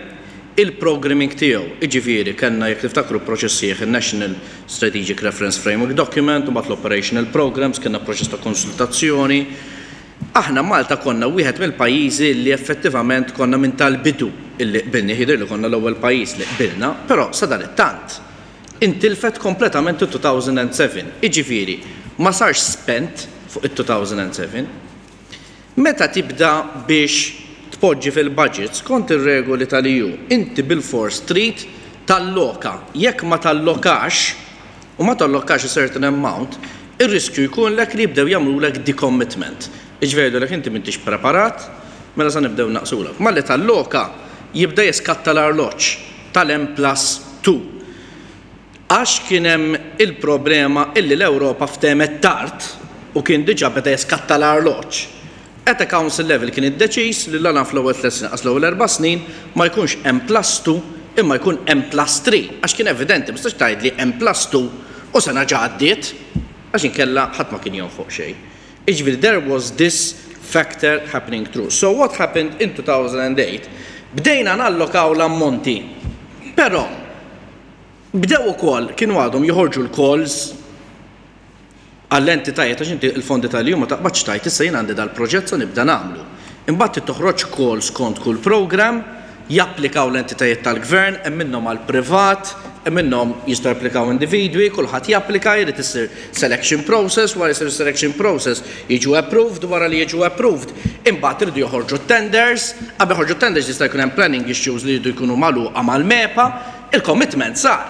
E: il-programming tiegħu. Jiġifieri kellna jekk tiftakru proċess sħiħ in-National Strategic Reference Framework Document u mbagħad l-Operational Programmes, kellna proċess ta' konsultazzjoni. Aħna Malta konna wieħed mill-pajjiżi li effettivament konna minn tal-bidu illi qbilni, jidhirli konna l-ewwel pajjiż li qbilna, però sadanittant intilfet kompletament it-2007. Jiġifieri ma sarx spend fuq it-2007. Meta tibda biex tpoġġi fil-budget skont ir-regoli tal-EU, inti bilfors trid talloka. Jekk ma tallokax, u ma tallokax a certain amount, ir-riskju jkunlek li jibdew jagħmlulek decommitment. Jiġifieri jgħidulek inti m'intix preparat, mela sa nibdew naqsulek. Malli talloka, jibda jiskatta l-arloġġ tal-M plus 2. Għax kien hemm il-problema illi l-Ewropa ftehmet tard u kien diġà beda jiskatta l-arloġġ. At a council level kien iddeċiż li la naf l-ewwel tlett snin qas l-ewwel erba' snin ma jkunx M plus 2 imma jkun M plus 3 għax kien evidenti ma tistax tgħidli M plus 2 u sena ġa għaddiet għax inkella ħadd ma kien jonfoq xejn. Jiġifieri there was this factor happening through. So what happened in 2008? Bdejna nallokaw l-ammonti. Però Bdew ukoll, kienu għadhom joħorġu l-calls għall-entitajiet għax inti l-fondi tal-EU ma taqbadx tgħid issa jien għandi dal-proġett sa nibda nagħmlu. Imbagħad trid toħroġ call skont kull programme, japplikaw l-entitajiet tal-gvern, hemm minnhom għall-privat, hemm minnhom jistgħu japplikaw individwi, kulħadd japplika, jrid isir selection process, wara jsir selection process jiġu approved, wara li jiġu approved imbagħad iridu joħorġu t-tenders, qabel joħorġu t-tenders jista' jkun hemm planning issues li jridu jkunu magħluqa mal-MEPA, Il-commitment sar,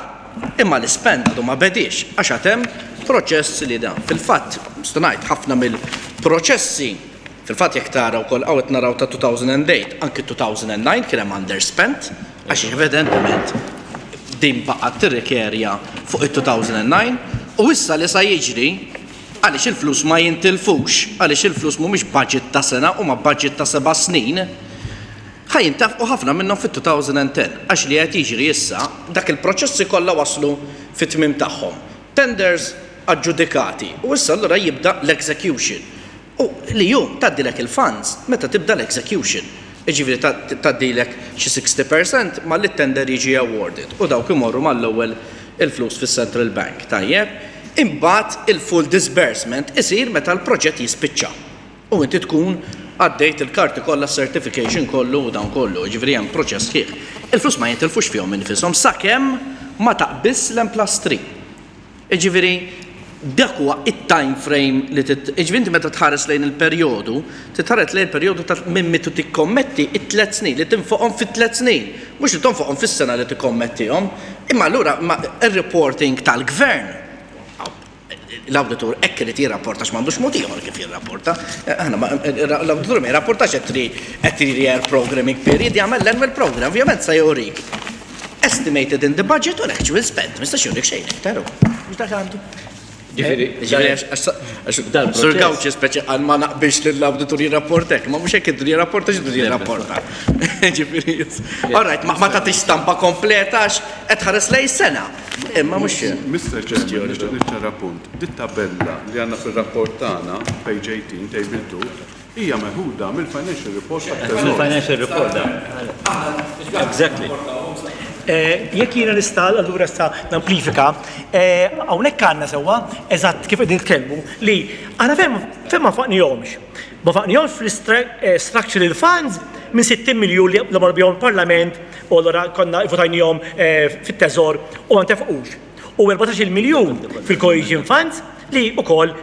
E: imma l-ispend għadu ma bediex għax għad hemm proċess li dan. Fil-fatt, nista' ngħid ħafna mill-proċessi, fil-fatt jekk tara wkoll hawn qed naraw ta' 2008, anki 2009 kien hemm underspent għax evidentement din baqgħet tirrikerja fuq it-2009 u issa li sa jiġri għaliex il-flus ma jintilfux, għaliex il-flus mhumiex budget ta' sena huma budget ta' seba' snin, Ħa jintefqu ħafna minnhom fit-2010 għax li qed jiġri issa, dak il-proċessi kollha waslu fit-tmiem tagħhom. Tenders aġġudikati u issa allura jibda l-execution. U l-EU tgħaddilek il-funds meta tibda l-execution. Jiġifieri tgħaddilek xi 60 percent malli t-tender jiġi awarded u dawk imorru mal-ewwel il-flus fis-Central Bank, tajjeb? Imbagħad il-full disbursement isir meta l-proġett jispiċċa. U inti tkun għaddejt il-karti kollha, certification kollu u dawn kollu, jiġifieri hemm proċess sħiħ. Il-flus ma jintilfux fihom infisom sakemm ma taqbiżx l-M plus 3. Jiġifieri dak huwa it-time frame li tit, jiġifieri inti meta tħares lejn il-perjodu, titħares lejn il-perjodu ta' minn meta tikkommetti it-tliet snin li tinfoqhom fit-tliet snin, mhux li tonfoqhom fis-sena li tikkommettihom. Imma allura ir-reporting tal-gvern l-awditur hekk irid jirrapporta għax m'għandux mod ieħor kif jirrapporta. Aħna l-awditur ma jirrapportax a 3 year programming period, jagħmel l-annual program, ovvjament sa jurik. Estimated in the budget u l-actual spend, ma jistax jurik xejn iktar. Mhux dak għandu.
A: Ġifieri,
E: Sur Gauci speċi għal ma naqbilx li l-awditur jirrapportek, ma mhux hekk idur jirrapporta x'idur jirrapporta. Ġifieri, all right, ma tagħtix stampa kompleta għax qed tħares lejn sena. Imma mhux.
F: Mr. Chairman, nixtieq niċċara punt. Dit tabella li għandna fir-rapport tagħna, page 18, table 2, hija meħuda mill-financial report tat-Teżor.
A: Mill-financial report da. Exactly.
C: Jekk jiena nista' allura issa namplifika, hawnhekk għandna sewwa eżatt kif qegħdin nitkellmu li aħna fejn fejn ma nfaqnihomx. Ma nfaqnihomx fl-structural funds minn 60 miljun li marru bihom il-Parlament u allura konna votajnihom fit-teżor u ma ntefqux. U 14 miljun fil-cohesion funds li wkoll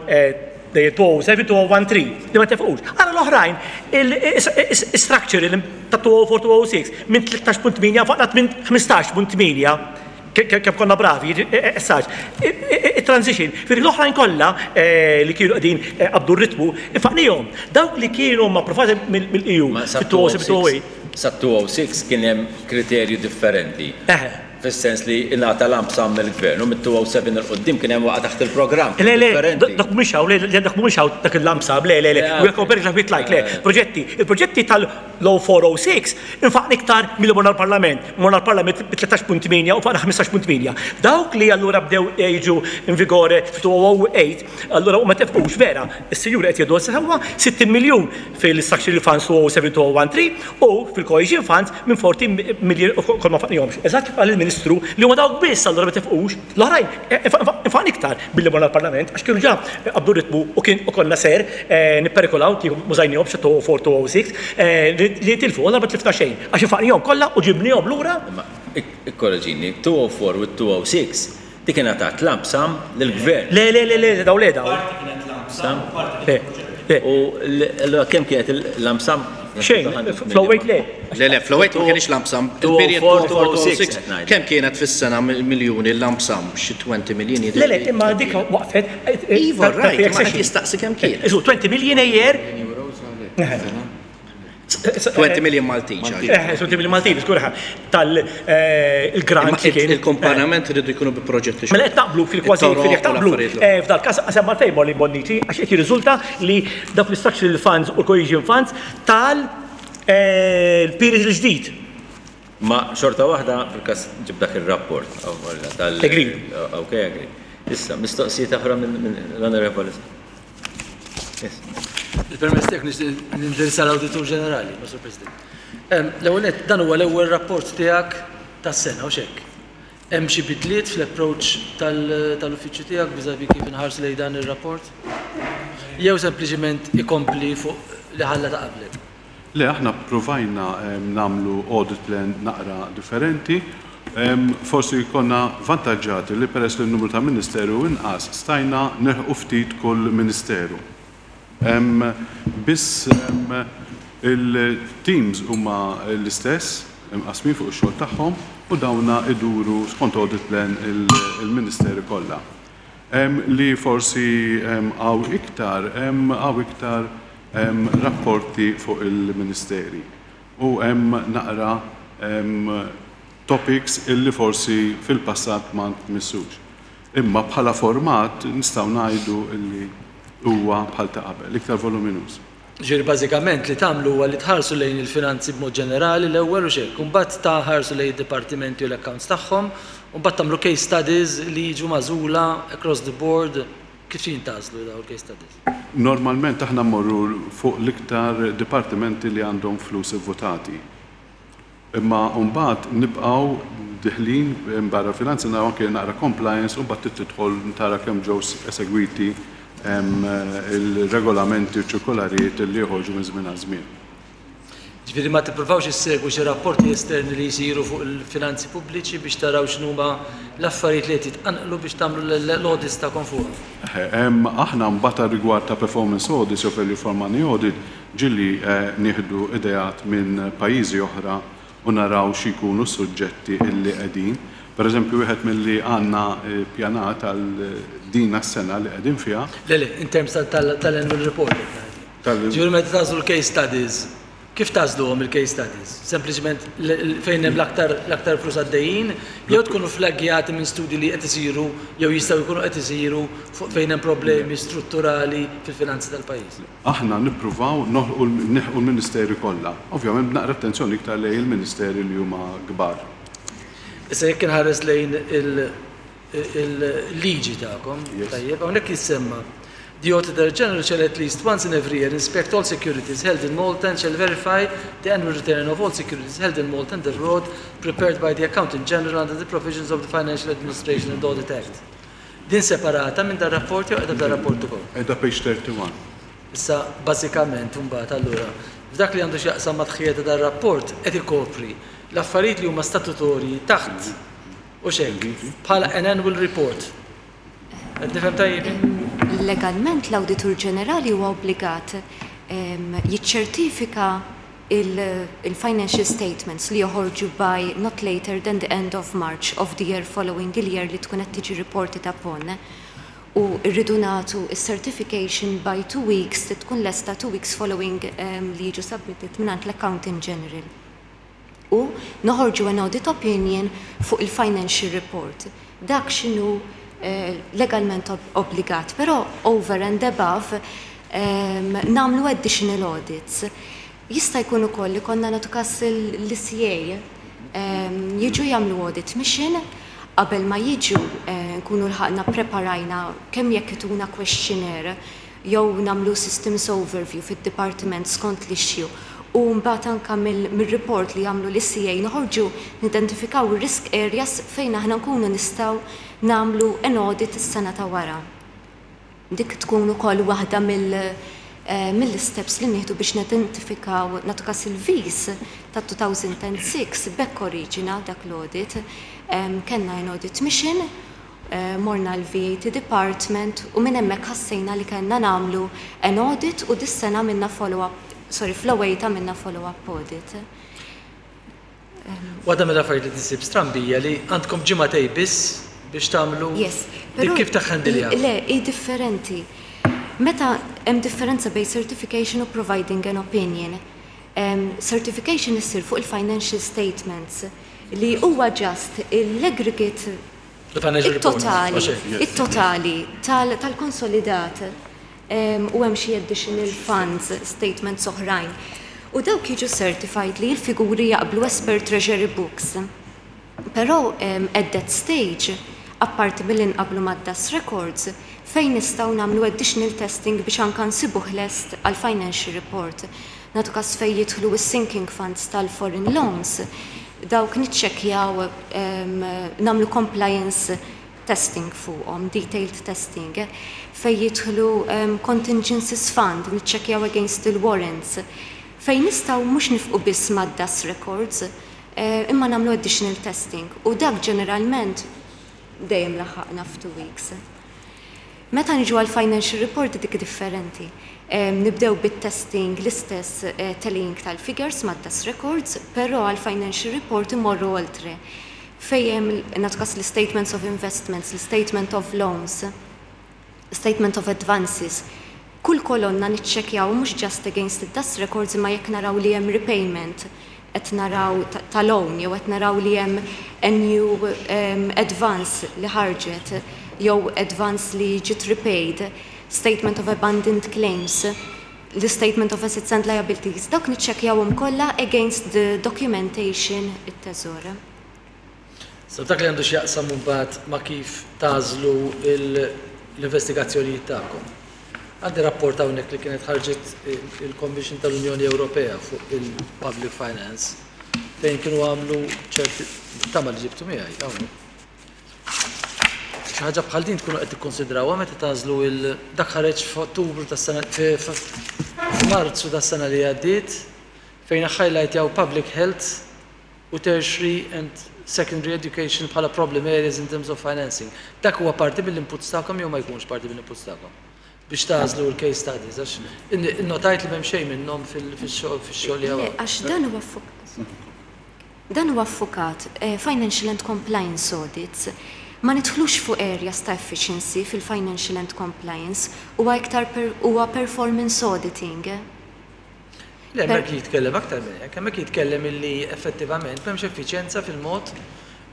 C: 207 2013 li ma ntefqux. Għara l-oħrajn, il-structure ta' 204 206 minn 13.8 nfaqna 15.8 kemm konna bravi, essaġ. Il-transition, fir l-oħrajn kollha li kienu qegħdin qabdu r-ritmu, infaqnihom. Dawk li kienu ma approvati mill-EU
A: Ma sa
C: fit-207 208.
A: Sa 206 kien hemm kriterju differenti.
C: Eħe.
A: Fis-sens li ingħata lump sum mill-Gvern u mit-207 'il quddiem kien hemm waqa' taħt il-programm.
C: Le, le, dak mhumiex hawn, le, dak mhumiex hawn dak il-lump sum, le, le, le. We are comparing like with like, le. Proġetti, il-proġetti tal-0406 infaqna iktar milli morna l-Parlament. Morna l-Parlament bi 13.8 u nfaqna 15.8. Dawk li allura bdew jiġu in vigore f'2008, allura huma tefqux, vera, is-sinjuri qed jgħidu sewwa, 60 miljun fil-Structural Funds 2007-2013, U fil-cohesion funds minn 14 million u kol ma faqnihomx. Eżatt kif qal il-Ministru li huma dawk biss allura ma tefqux. L-oħrajn infaqna iktar billi morna l-Parlament għax kienu ġa qabdu ritmu u kien u konna ser nipperikolaw kieku m'użajnihomx 2004 2006 li jitilfu. Allura ma tlifna xejn għax infaqnihom kollha u ġibnihom lura.
A: Imma ikkoreġini, 2004 u 2006 dik ingħatat lump sum lill-Gvern.
C: Le le le le dawn le dawn.
D: Parti kienet lump sum u parti kienet proġetti.
C: Le.
A: U allura kemm kienet il-lump sum?
C: Xejn, fl-08 le.
E: Le le, fl-08 ma kienx lump sum. Il-period 2004 2006 kemm kienet fis-sena miljuni l-lump sum? Xi 20 million jidhirli.
C: Le le, imma dik waqfet.
E: Iva, right, imma qed jistaqsi kemm kienet.
C: Isu, 20 million a year.
E: 20 million Maltin.
C: 20 million Maltin, żgur tal-grant.
E: Il-komparament rridu jkunu bi proġetti.
C: Mela qed naqblu fil-kważi fil naqblu. F'dal każ semma fejn Molly Bonnici għax qed jirriżulta li dawk l-structural funds u l-cohesion funds tal period il-ġdid.
A: Ma xorta waħda fil-każ ġib dak ir-rapport tal.
C: Agree.
A: Ok, agree. Issa, mistoqsijiet oħra minn l-Onorevoli.
G: Bil-permess tiegħek nixtieq nindirizza l-Awditur Ġenerali, Sur President. L-ewwel nett, dan huwa l-ewwel rapport tiegħek tas-sena, hux hekk? Hemm xi bidliet fl-approach tal-uffiċċju tiegħek vis-à-vis kif inħarsu lejn dan ir-rapport? Jew sempliċiment ikompli fuq li ħalla ta' qablek?
F: Le, aħna ppruvajna nagħmlu audit plan naqra differenti. Forsi konna vantaġġati li peress li n-numru ta' ministeru hu inqas, stajna nilħqu ftit kull ministeru. Biss il-teams huma l-istess, imqassmin fuq ix-xogħol tagħhom u dawna iduru skont audit plan il-ministeri kollha. Li forsi hawn iktar, hawn iktar Hemm rapporti fuq il-ministeri u hemm naqra topics illi forsi fil-passat ma ntmissux. Imma bħala format nistgħu ngħidu illi huwa bħal ta' qabel, iktar voluminuż.
G: Ġifieri bażikament li tagħmlu huwa li tħarsu lejn il-finanzi b'mod ġenerali l-ewwel hux hekk, u mbagħad tħarsu lejn id-dipartimenti u l-accounts tagħhom, u mbagħad tagħmlu case studies li jiġu magħżula across the board. Kif jintgħażlu dawn il-case studies?
F: Normalment aħna mmorru fuq l-iktar dipartimenti li għandhom flus ivvutati. Imma mbagħad nibqgħu diħlin barra l-finanzi naraw anke naqra compliance u mbagħad trid tidħol tara kemm ġew esegwiti il-regolamenti u ċirkolarijiet li joħorġu minn żmien għal żmien.
G: Jiġifieri ma tippruvawx issegwu xi rapporti esterni li jsiru fuq il-finanzi pubbliċi biex taraw x'inhuma l-affarijiet li qed jitqanqlu biex tagħmlu l-audits tagħkom fuqhom?
F: Eħe, aħna mbagħad għar-rigward ta' performance audits jew value for money audit ġieli nieħdu ideat minn pajjiżi oħra u naraw xi jkunu s-suġġetti illi qegħdin. Per eżempju wieħed milli għandna ppjanat għal din s-sena li qegħdin fiha.
G: Le, le, in terms tal-annual report qed ngħid jien. Ġifieri meta tagħżlu l-case studies, kif tagħżluhom il-case studies? Sempliċement fejn hemm l-aktar l-aktar flus għaddejjin jew tkunu flaggjati minn studji li qed isiru jew jistgħu jkunu qed isiru fuq fejn hemm problemi strutturali fil-finanzi tal-pajjiż?
F: Aħna nippruvaw noħlqu nilħqu l-ministeri kollha. Ovvjament b'naqra attenzjoni iktar lejn il-ministeri li huma kbar.
G: Issa jekk inħares lejn il il-liġi tagħkom, tajjeb, hawnhekk jissemma The Auditor General shall at least once in every year inspect all securities held in Malta and shall verify the annual return of all securities held in Malta and abroad prepared by the Accountant General under the provisions of the Financial Administration and Audit Act. Din separata minn dar rapport jew qiegħda f'dar rapport ukoll?
F: Qiegħda page 31.
G: Issa bażikament imbagħad allura f'dak li għandu x'jaqsam mat-tħejjija ta' dar-rapport qed ikopri l-affarijiet li huma statutorji taħt Hux hekk? Bħala an annual report. Qed nifhem tajjeb jien?
H: Legalment l-Awditur Ġenerali huwa obbligat jiċċertifika il-financial statements li joħorġu by not later than the end of March of the year following il-year li tkun qed tiġi reported upon u rridu nagħtu s-certification by two weeks li tkun lesta two weeks following li jiġu submitted mingħand l-Accountant General. U noħorġu an audit opinion fuq il-financial report. Dak x'inhu legalment obbligat, però over and above nagħmlu additional audits. Jista' jkun ukoll li konna nagħtu każ l-ECA jiġu jagħmlu audit mission qabel ma jiġu nkunu lħaqna ppreparajna kemm jekk ituna questionnaire jew nagħmlu systems overview fid-dipartiment skont l-issue u mbagħad anke mir-report li jagħmlu l-ECA noħorġu nidentifikaw ir-risk areas fejn aħna nkunu nistgħu nagħmlu an audit is-sena ta' wara. Dik tkun ukoll waħda mill-isteps li nieħdu biex nidentifikaw, nagħtu każ il-VIS ta' 2006 b'hekk oriġina dak l-audit. Kellna an audit mission Morna l-VAT Department u minn hemmhekk ħassejna li kellna nagħmlu an audit u dis-sena għamilna follow-up, sorry, fl-08 għamilna follow-up audit.
G: Waħda mill-affarijiet li tinsib strambi hija li għandkom ġimagħtej biss biex tagħmlu
H: Yes,
G: dik
H: però
G: kif taħħendilha?
H: Le, hi differenti. Meta hemm differenza bejn certification u providing an opinion. Certification issir fuq il-financial statements li huwa just l-aggregate it-totali, it-totali tal-konsolidat u hemm xi additional funds statements oħrajn. U dawk jiġu certified li l-figuri jaqblu as per Treasury Books. Però at that stage, apparti milli nqabblu mad-DAS records, fejn nistgħu nagħmlu additional testing biex anke nsibuh lest għall-financial report. Nagħtu każ fejn jidħlu s-sinking funds tal-foreign loans, dawk niċċekkjaw, nagħmlu compliance testing fuqhom, detailed testing. Fejn jidħlu contingencies fund, niċċekkjaw against il-warrants. Fejn nistgħu mhux nifqu biss mad-DAS records, imma nagħmlu additional testing. U dak ġeneralment dejjem laħaqna f'two weeks. Meta niġu għall-financial report dik differenti. Nibdew bit-testing l-istess tallying tal-figures mad-DAS records, però għall-financial report immorru oltre. Fejn hemm nagħtu każ l-istatements of investments, l-istatement of loans, statement of advances. Kull kolonna niċċekkjaw mhux just against id-DAS records imma jekk naraw li hemm repayment qed naraw ta' loan jew qed naraw li hemm a new advance li ħarġet jew advance li ġiet repaid, statement of abandoned claims, l-statement of assets and liabilities, dawk niċċekkjawhom kollha against the documentation it-Teżor.
G: Sa dak li għandu x'jaqsam imbagħad ma' kif tagħżlu l-investigazzjonijiet tagħkom. Għandi rapport hawnhekk li kienet ħarġet il-Commission tal-Unjoni Ewropea fuq il-Public Finance fejn kienu għamlu ċerti tama li ġibtu miegħi hawnhekk. Xi ħaġa bħal din tkunu qed tikkonsidrawha meta tagħżlu il dak ħareġ f'Ottubru tas-sena f'Marzu tas-sena li għaddiet fejn highlightjaw public health u tertiary and secondary education bħala problem areas in terms of financing. Dak huwa parti mill-inputs tagħkom jew ma jkunx parti mill-inputs tagħkom? Biex tagħżlu l-case studies, għax innotajt li m'hemm xejn minnhom fix-xogħol li hawn.
H: Le, għax dan huwa dan huwa ffukat financial and compliance audits. Ma nidħlux fuq areas ta' efficiency fil-financial and compliance, huwa iktar huwa performance auditing.
G: Le, hemmhekk jitkellem aktar minn hekk, hemmhekk jitkellem illi effettivament m'hemmx effiċjenza fil-mod,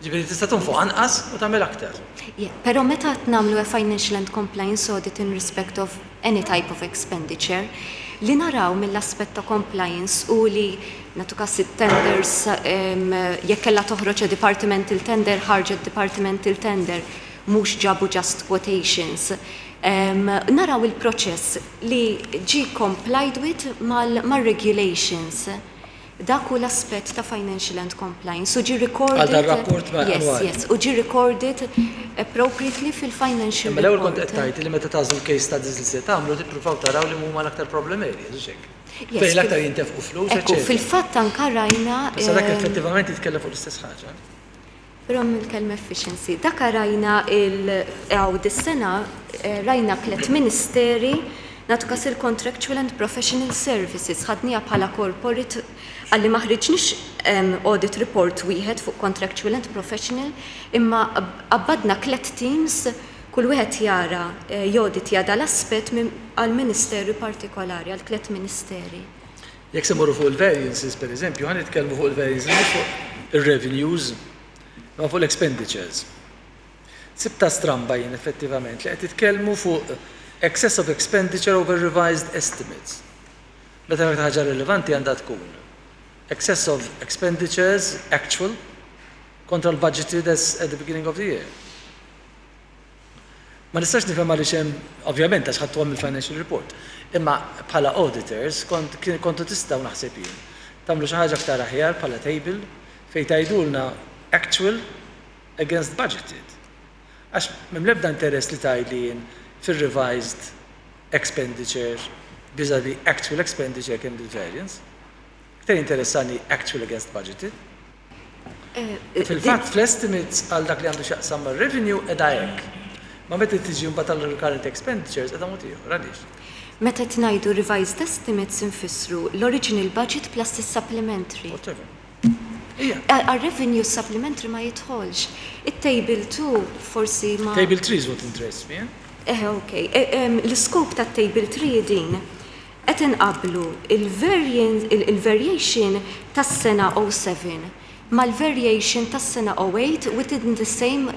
G: jiġifieri tista' tonfoq anqas u tagħmel aktar.
H: Yeah, però meta qed nagħmlu a financial and compliance audit in respect of any type of expenditure, li naraw mill-aspett ta' compliance hu li, nagħtu każ it-tenders, jekk kellha toħroġ a departmental tender, ħarġet departmental tender, mhux ġabu just quotations. Naraw il-proċess li ġie complied with mar-regulations. Dak hu l-aspett ta' financial and compliance u ġie recorded.
G: Għal dar-rapport annwali.
H: Yes, yes, u ġie recorded appropriately fil-financial report.
G: Imma l-ewwel kont qed tgħid li meta tagħżlu l-case studies li se tagħmlu tippruvaw taraw liema huma l-aktar problem areas, hux hekk?
H: Yes.
G: Fejn l-aktar jintefqu flus, eċċetera.
H: Ekku, fil-fatt anke rajna.
G: Issa dak effettivament jitkellem fuq l-istess ħaġa.
H: Però mill-kelma efficiency. Dak rajna il hawn dis-sena rajna tliet ministeri nagħtu każ il-contractual and professional services ħadniha bħala corporate għalli ma ħriġniex audit report wieħed fuq contractual and professional imma qabbadna tliet teams kull wieħed jara jawditja dal-aspett għal ministeru partikolari għal tliet ministeri.
G: Jekk se mmorru fuq il-variances, per eżempju, ħa nitkellmu fuq il-variances mhux fuq ir-revenues, imma fuq l-expenditures. Sibtha stramba jien effettivament li qed titkellmu fuq excess of expenditure over revised estimates. Meta l-aktar ħaġa rilevanti għandha tkun excess of expenditures actual kontra l-budgeted as at the beginning of the year. Ma nistax nifhem għaliex hemm, ovvjament għax ħadtuha mill-financial report, imma bħala auditors kont kontu tistgħu naħseb jien tagħmlu xi ħaġa aktar aħjar bħala table fejn tgħidulna actual against budgeted. Għax m'hemm l-ebda interess li tgħidli jien fir-revised expenditure vis-à-vis actual expenditure kemm il-variance. Iktar jinteressani actual against budgeted. Fil-fatt fl-estimates għal dak li għandu x'jaqsam mar-revenue qiegħda hekk. Ma meta tiġi mbagħad għal recurrent expenditures qiegħda mod ieħor. Għaliex?
H: Meta qed ngħidu revised estimates infissru l-original budget plus is-supplementary.
G: Whatever. Ija.
H: Għar-revenue supplementary ma jidħolx. It-table 2 forsi ma.
G: Table 3 is what interests me, eh?
H: Eħe, ok. L-iskop tat-table 3 din. Qed inqabblu il-variation tas-sena 07 mal-variation tas-sena 08 within the same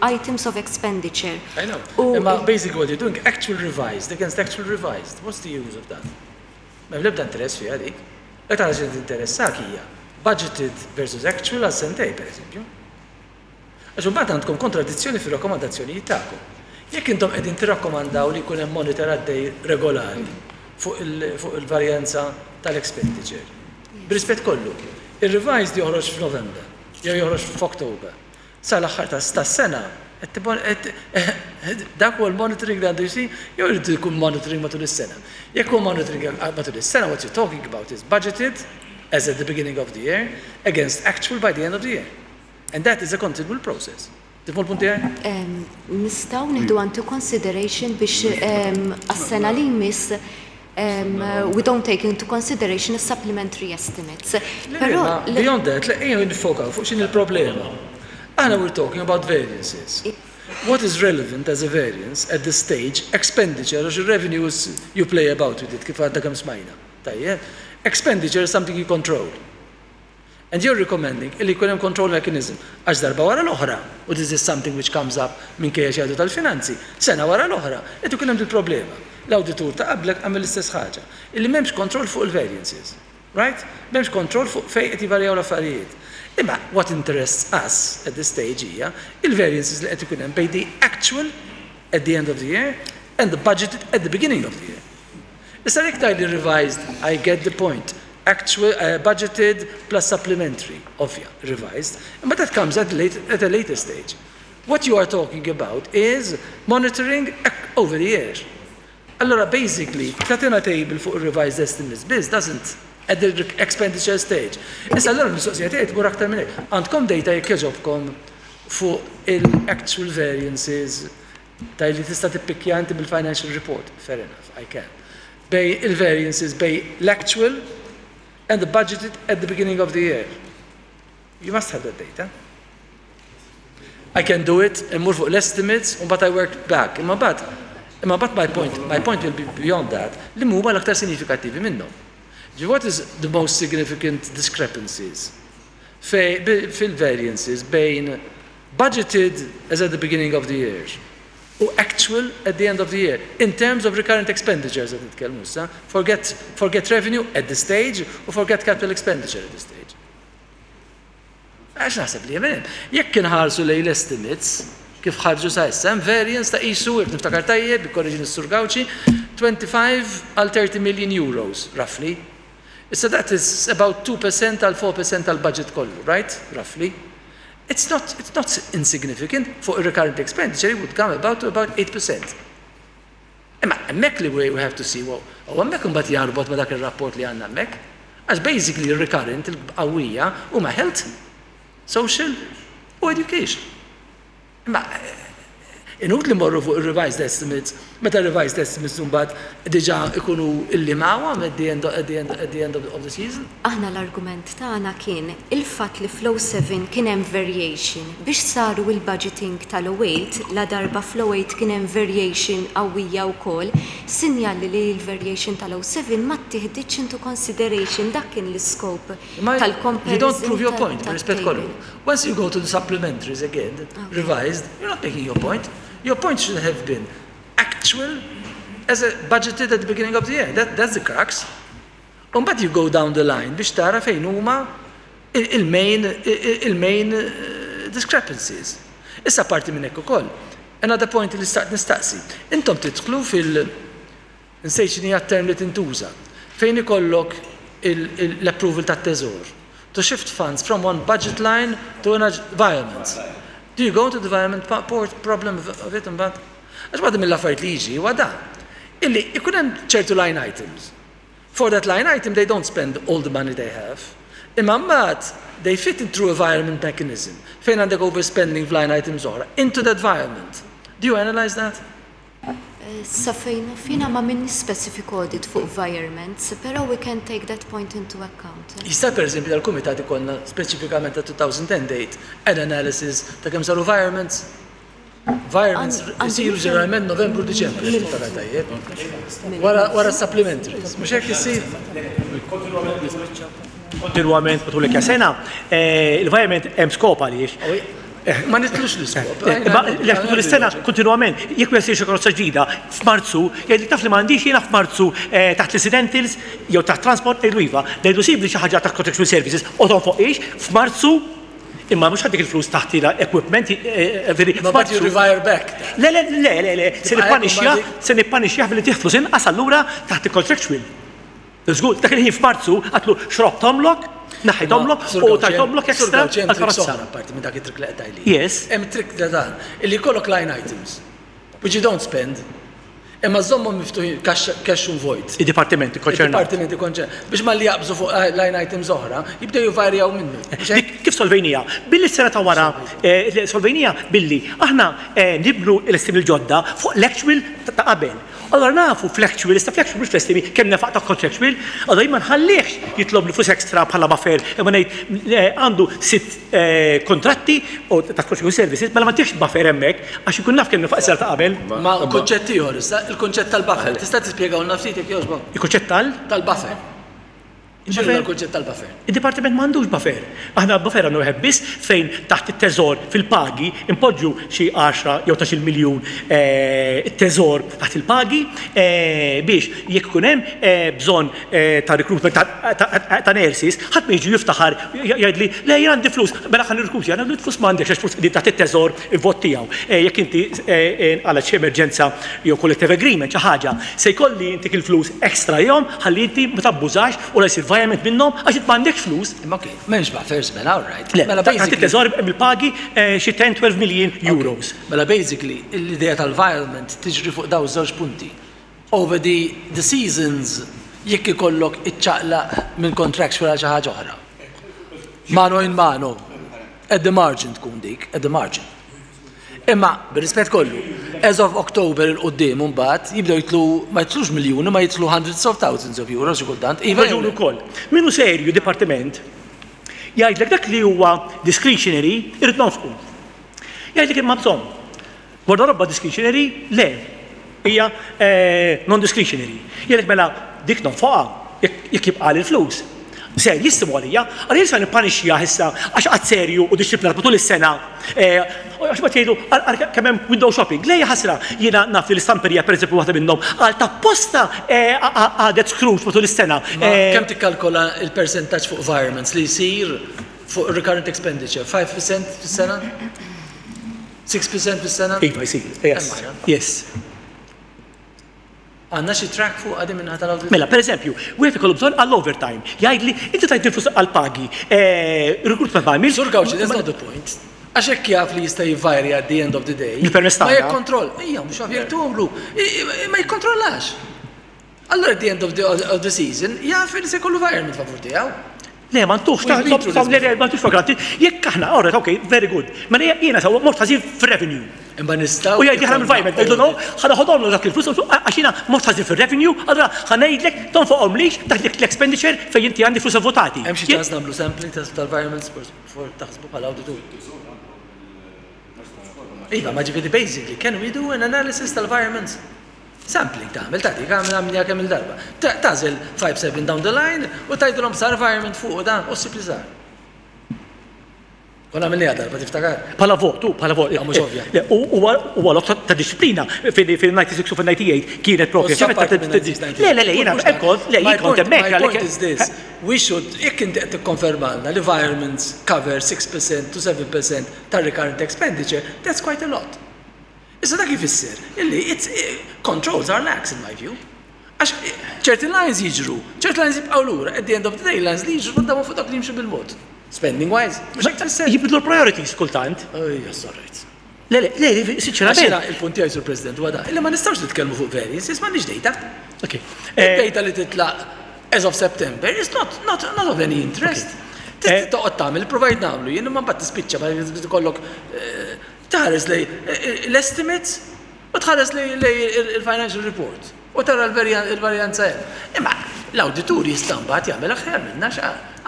H: items of expenditure.
G: I know. Imma basically what you're doing, actual revised against actual revised. What's the use of that? M'hemm l-ebda interess fiha dik. L-aktar ħaġa li tinteressak hija budgeted versus actual għal sentejn, pereżempju. Għax imbagħad għandkom kontradizzjoni fir-rakkomandazzjonijiet tagħkom. Jekk intom qegħdin tirrakkomandaw li jkun hemm monitor għaddej regolari fuq il-varjanza tal-expenditure, b'rispett kollu, ir-revised joħroġ f'November jew joħroġ f'October, sal-aħħar tas-sena dak huwa l-monitoring li għandu jsir jew irid ikun monitoring matul is-sena. Jekk huwa monitoring matul is-sena, what you're talking about is budgeted as at the beginning of the year against actual by the end of the year. And that is a continual process. Tifhmu l-punt tiegħi?
H: Nistgħu nieħdu into consideration biex għas-sena li jmiss we don't take into consideration is-supplementary estimates.
G: Però beyond that, ejja nifokaw fuq x'inhi l-problema. Aħna we're talking about variances. What is relevant as a variance at this stage, expenditure, għax ir-revenues you play about with it kif għadna kemm smajna. Tajjeb? Expenditure is something you control. And you're recommending illi jkun hemm control mechanism għax darba wara l-oħra, u this is something which comes up minkejja xi jgħidu tal-finanzi, sena wara l-oħra qed ikun hemm dil-problema. L-awditur ta' qablek għamel l-istess ħaġa, illi m'hemmx control fuq il-variances. Right? M'hemmx control fuq fejn qed jivarjaw l-affarijiet. Imma what interests us at this stage hija il-variances li qed ikun hemm bejn the actual at the end of the year and the budgeted at the beginning of the year. Issa jekk tgħidli revised, I get the point. Actual, budgeted plus supplementary, ovvja, revised. Imma that comes at, late, at a later stage. What you are talking about is monitoring over the year. Allora basically, tagħtina table fuq revised estimates biss doesn't at the expenditure stage. Issa allora l-mistoqsija tiegħi tmur aktar minn hekk. Għandkom data jekk jogħġobkom fuq il-actual variances ta' li tista' tippikkja inti mill-financial report. Fair enough, I can. Bejn il-variances bejn l-actual and the budgeted at the beginning of the year. You must have that data. I can do it, immur fuq l-estimates, u mbagħad I work back. Imma mbagħad, imma mbagħad my point, my point will be beyond that, li huma l-aktar sinifikattivi minnhom. What is the most significant discrepancies fil-variances bejn budgeted as at the beginning of the year u actual at the end of the year in terms of recurrent expenditures qed nitkellmu issa, forget, forget revenue at this stage u forget capital expenditure at this stage. Għax naħseb li hemm. Jekk inħarsu lejn l-estimates kif ħarġu sa issa, hemm variance ta' qisu, jekk niftakar tajjeb, ikkorreġini s-Sur Gauci, 25 għal 30 million euros, roughly. Issa that is about 2% għal 4% tal-budget kollu, right? Roughly. It's not insignificant. Fuq recurrent expenditure, it would come about to about 8%. Imma hemmhekk li we have to see, u hemmhekk imbagħad jarbot ma' dak ir-rapport li għandna hemmhekk. Għax basically recurrent il-qawwija huma health, social u education. Imma Inutli mmorru fuq ir-revised estimates meta r-revised estimates imbagħad diġà jkunu illimawhom at the end at the end at the end of the season.
H: Aħna l-argument tagħna kien il-fatt li fl-07 kien hemm variation biex saru il-budgeting tal-08 ladarba fl-08 kien hemm variation qawwija wkoll, sinjal li l-variation tal-07 ma ttieħditx into consideration dak kien l-iskop
G: Imma you don't
H: tal-comparison
G: prove your point, bir-rispett kollu.
H: tat-table.
G: Once you go to the supplementaries again, revised, you're not making your point. Your point should have been actual as a budgeted at the beginning of the year. That, that's the crux. Umbagħad you go down the line biex tara fejn huma il-main il-main discrepancies. Issa parti minn hekk ukoll. Another point li staqt nistaqsi. Intom tidħlu fil Nsejt x'inhi t-term li tintuża. Fejn ikollok l-approval tat-teżor. To shift funds from one budget line to another environment. Do you go into the environment problem of it imbagħad? Għax waħda mill-affarijiet li jiġi huwa dan. Illi ikun hemm ċertu line items. For that line item they don't spend all the money they have. Imma mbagħad they fit in through environment mechanism fejn għandek overspending f'line items oħra into that environment. Do you analyze that?
H: Sa fejn naf jiena ma minniex specific audit fuq virements, però we can take that point into account.
G: Jista' pereżempju dal-kumitat ikollna speċifikament ta' 2008 an analysis ta' kemm saru virements? Virements isiru ġeneralment Novembru Diċembru, jekk niftakar tajjeb. Wara wara s-supplementaries, mhux hekk issir?
C: Kontinwament matul l sena, il-virement hemm skop għaliex.
G: Ma nitlux l-iskop.
C: Imma l matul is-sena kontinwament, jekk wieħed xi karozza ġdida f'Marzu, jgħidlek taf li m'għandix jiena f'Marzu taħt l-incidentals jew taħt transport ngħidlu iva, ngħidlu sibli xi ħaġa taħt contractual services u tonfoqhiex f'Marzu imma mhux ħaddik il-flus taħt equipment
G: veri. Ma but you revire back.
C: Le, le, le, le, le, se nippanixxja, se nippanixxjah billi tih flus inqas allura taħt il-contractual. Żgur, dak il-ħin f'Marzu għatlu xrobtomlok, naħħitomlok u tajtomlok extra
G: għall-karozza. Apparti minn dak it-trick li qed tgħidli.
C: Yes.
G: Hemm trick ta' dan, illi jkollok line items which you don't spend, imma żommhom miftuħin cash un vojt.
C: Id-dipartimenti konċernati.
G: Id-dipartimenti konċernati. Biex malli jaqbżu fuq line items oħra, jibdew jivarjaw minnu.
C: Dik kif solvejnija? Billi s-sena ta' wara solvejnija billi aħna nibnu l-estimi l-ġodda fuq l-actual ta' qabel. Allura nafu fl-actual, issa fl-actual mhux fl-estimi, kemm nefaq ta' contractual, allura jien ma nħallihx jitlobni flus extra bħala buffer, imma ngħid għandu sitt kuntratti u ta' contractual services, mela ma ntihx buffer hemmhekk għax inkun naf kemm nefaq is-sena ta' qabel.
G: Ma kunċett ieħor issa, il-kunċett tal-buffer. Tista' tispjegahulna ftit jekk jogħġbok?
C: Il-kunċett tal?
G: Tal-buffer. X'inhu l-kunċett tal-buffer?
C: Id-dipartiment m'għandux buffer. Aħna buffer għandna wieħed biss fejn taħt it-teżor fil-pagi npoġġu xi għaxra jew tnax-il miljun teżor taħt il-pagi biex jekk ikun hemm bżonn ta' recruitment ta' nurses, ħadd ma jiġi jiftaħar jgħidli le jien għandi flus, mela ħa nirrekrutja. Ngħidlu flus m'għandekx għax flus qegħdin taħt it-teżor il-vot tiegħu. Jekk inti nqalgħet xi emerġenza jew collective agreement xi ħaġa, se jkolli ntik il-flus extra jom ħalli inti ma tabbużax u la jsir virement minnhom għax int m'għandekx flus.
G: Imma ok, m'hemmx buffers mela, all right.
C: Le, mela basically. Teżor bil-pagi xi 10-12 million euros.
G: Mela basically l-idea tal-virement tiġri fuq dawn iż-żewġ punti. Over the the seasons jekk ikollok iċċaqlaq minn contractual għal xi ħaġa oħra. Mano in mano. At the margin tkun dik, at the margin. Imma, bir-rispett kollu, as of October 'il quddiem imbagħad jibdew jidħlu, ma jidħlux miljuni, ma jidħlu hundreds of thousands of euros xi kultant.
C: Iva jew le? Raġun ukoll. Min hu serju dipartiment jgħidlek dak li huwa discretionary irrid nonfqu. Jgħidlek imma bżonn. Gwardarobba discretionary le. Hija non-discretionary. Jgħidlek mela dik nonfoqha jekk jibqagħli l-flus. Serjissimu għalija, għalija jien se nippanixxjah issa għax qatt serju u dixxiplinat matul is-sena. Għax mbagħad jgħidu ara kemm hemm window shopping. Le hija ħasra, jiena naf li l-istamperija pereżempju waħda minnhom għal t'apposta qagħdet Scrooge matul is-sena.
G: Kemm tikkalkola l-persentaġġ fuq virements li jsir fuq recurrent expenditure? 5% fis-sena? 6% fis-sena?
C: Iva jsir, yes. Yes.
G: Għandna xi track fuqha din min-naħa tal-awditur?
C: Mela, pereżempju, wieħed ikollu bżonn għall-overtime. Jgħidli, inti tajtni l-flus għall-pagi, recruitment ma għamiltx.
G: Sur Gauci, that's not the point. Għax hekk jaf li jista' jivvarja at the end of the day.
C: Bil-permess
G: Ma
C: tagħna.
G: jikkontroll, ejja, mhux jaf jekk tumlu, ma jikkontrollax. Allura at the end of the, of the season jaf li se jkollu virement favur tiegħu.
C: Le, ma ntuhx, ta' le, le, ma ntux for granted. Jekk aħna, all right, okay, very good. Mela jiena sewa mort ħażin fir-revenue.
G: Imma nistgħu.
C: U jgħid aħna mill-environment, ngħidlu no, ħa noħodhomlu dak il-flus għax jiena mort ħażin fir-revenue, allura ħa ngħidlek tonfoqhomlix dak l-expenditure fejn inti għandi flus votati.
G: Hemm xi ċans nagħmlu sampling tal-environments taħsbu bħala awditur? Iva, ma ġifieri basically, can we do an analysis tal-environments? Sampling tagħmel, tagħtik, għamil għamilniha kemm il-darba. Tagħżel 5, 7 down the line u tgħidilhom sar virement fuq u dan u ssib li sar. Konna għamilniha darba tiftakar?
C: Bħala vot, u bħala vot.
G: Ah, mhux ovvja.
C: Le, huwa lok ta' disciplina fil-96 u fil-98 kienet propju. Le, le, le, jiena kont, le, jien kont hemmhekk.
G: My point is this, we should, jekk inti qed tikkonfermalna li virements cover 6% to 7% tar-recurrent expenditure, that's quite a lot. Issa dak ifisser illi it's controls are lax in my view. Għax ċerti lines jiġru, ċerti lines jibqgħu lura, at the end of the day lines li jiġru dawn fuq dawk li jimxu bil-mod. Spending wise, mhux hekk tfisser?
C: Jibdlu l-priorities kultant.
G: Ejja, sorry.
C: Le, le, le, sinċerament.
G: Il-punt tiegħi sur President huwa da, illi ma nistgħux nitkellmu fuq variances, m'għandniex data.
C: Ok.
G: Id-data li titlaq as of September is not, not, not of any interest. Tista' toqgħod tagħmel, provajt nagħmlu jien imma mbagħad tispiċċa ma tkollok Tħares lejn l-estimates u tħares lejn il-financial report u tara l-varjanza hemm. Imma l-awditur jista' mbagħad jagħmel aħjar minna għax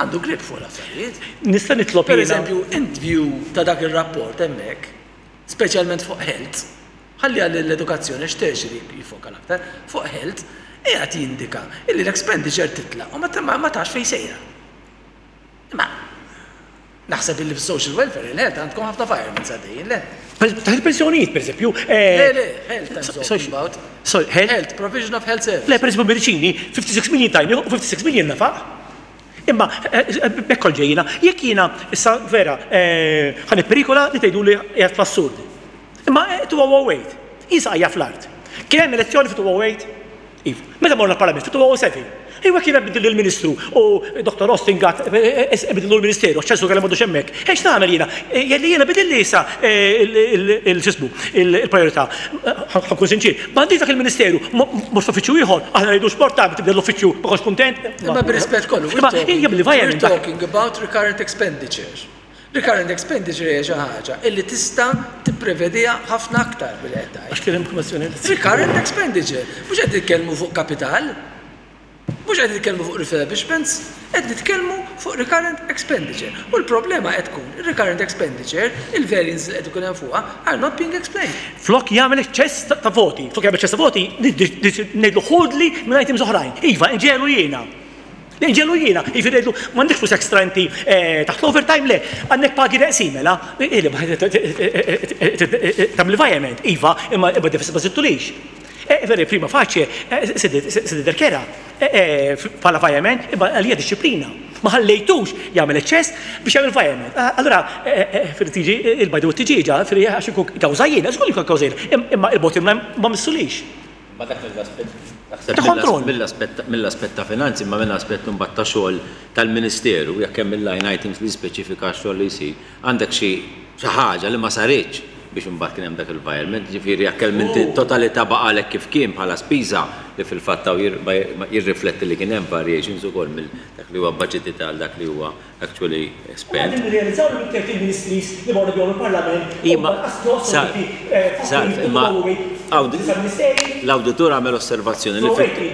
G: għandu grip fuq l-affarijiet.
C: Nista' nitlob jiena.
G: Pereżempju, int view ta' dak ir-rapport hemmhekk, speċjalment fuq health, ħalli għall-edukazzjoni għax tertiary jiffoka l-aktar, fuq health, qiegħed jindika illi l-expenditure titla' u ma tafx fejn sejra. Imma Naħseb illi fis-social welfare il-health għandkom ħafna virements għaddejjin, le?
C: Ta' il-pensjonijiet, per eżempju.
G: Le, le, health I'm talking about.
C: Sorry, health?
G: Health, provision of health services.
C: Le, per eżempju, mediċini, 56 million tajni u 56 million nefaq. Imma, hekk kont ġejjina, jekk jiena, issa vera, ħa nipperikola li tgħiduli qiegħed fl-assurd. Imma 2008, jien saqajja fl-art. Kien hemm elezzjoni fi 2008? Iva. Meta morna l-Parlament fit-2007, iva kien hemm bidil il-Ministru u Dr. Austin Gatt bidillu l-Ministeru għax ċensu kellha m'għadux hemmhekk. Eh x'nagħmel jiena? Jelli jiena bidilli issa il-x'ismu il-priorità. Ħa nkun sinċier, m'għandix dak il-Ministeru, mhux f'uffiċċju ieħor, aħna ngħidu x'mort tagħmel tibdel l-uffiċċju ma kontx kuntent.
G: Imma b'rispett kollu, we're talking about recurrent expenditure. Recurrent expenditure hija xi ħaġa illi tista' tipprevediha ħafna aktar milli qed tgħid.
C: Għax kien hemm kwestjoni.
G: Recurrent expenditure. Mhux qed nitkellmu fuq kapital, mhux qed nitkellmu fuq refurbishments, qed nitkellmu fuq recurrent expenditure. U l-problema qed tkun ir-recurrent expenditure, il-variances li qed ikun hemm fuqha are not being explained.
C: Flok jagħmel eċċess ta' voti, flok jagħmel eċċess ta' voti, ngħidlu ħudli minn items oħrajn. Iva, inġegħlu jiena. Inġelu jiena, jiġifieri ngħidlu m'għandekx flus extra inti taħt l-overtime le, għandek pagi neqsin mela, tagħmel virement, iva, imma deficit ma żidtulix. Veri prima facie, se tidher kera bħala virement, imma għalija dixxiplina. Ma ħallejtux jagħmel eċċess biex jagħmel virement. Allura tiġi il-bajda u t-tiġieġa, għax ikun kawża jiena, żgur li jkun kawża jiena, imma il-bottom line ma missulix.
A: Imma dak mill-aspett naħseb mill-aspett mill-aspett ta' finanzi imma minn aspett imbagħad ta' xogħol tal-Ministeru jekk hemm il-line items li jispeċifika x-xogħol li jsir, għandek xi xi ħaġa li ma saritx biex imbagħad kien hemm dak il-virement, jiġifieri jekk hemm inti t-totalità baqgħalek kif kien bħala spiża li fil-fatt hawn jirrifletti li kien hemm variations ukoll mill dak li huwa budgeted għal dak li huwa actually spent.
C: Qegħdin nirrealizzaw li mit-30 ministries li morru bihom il-Parlament huma l-qas
A: Salv, Salv, imma l-awditur għamel osservazzjoni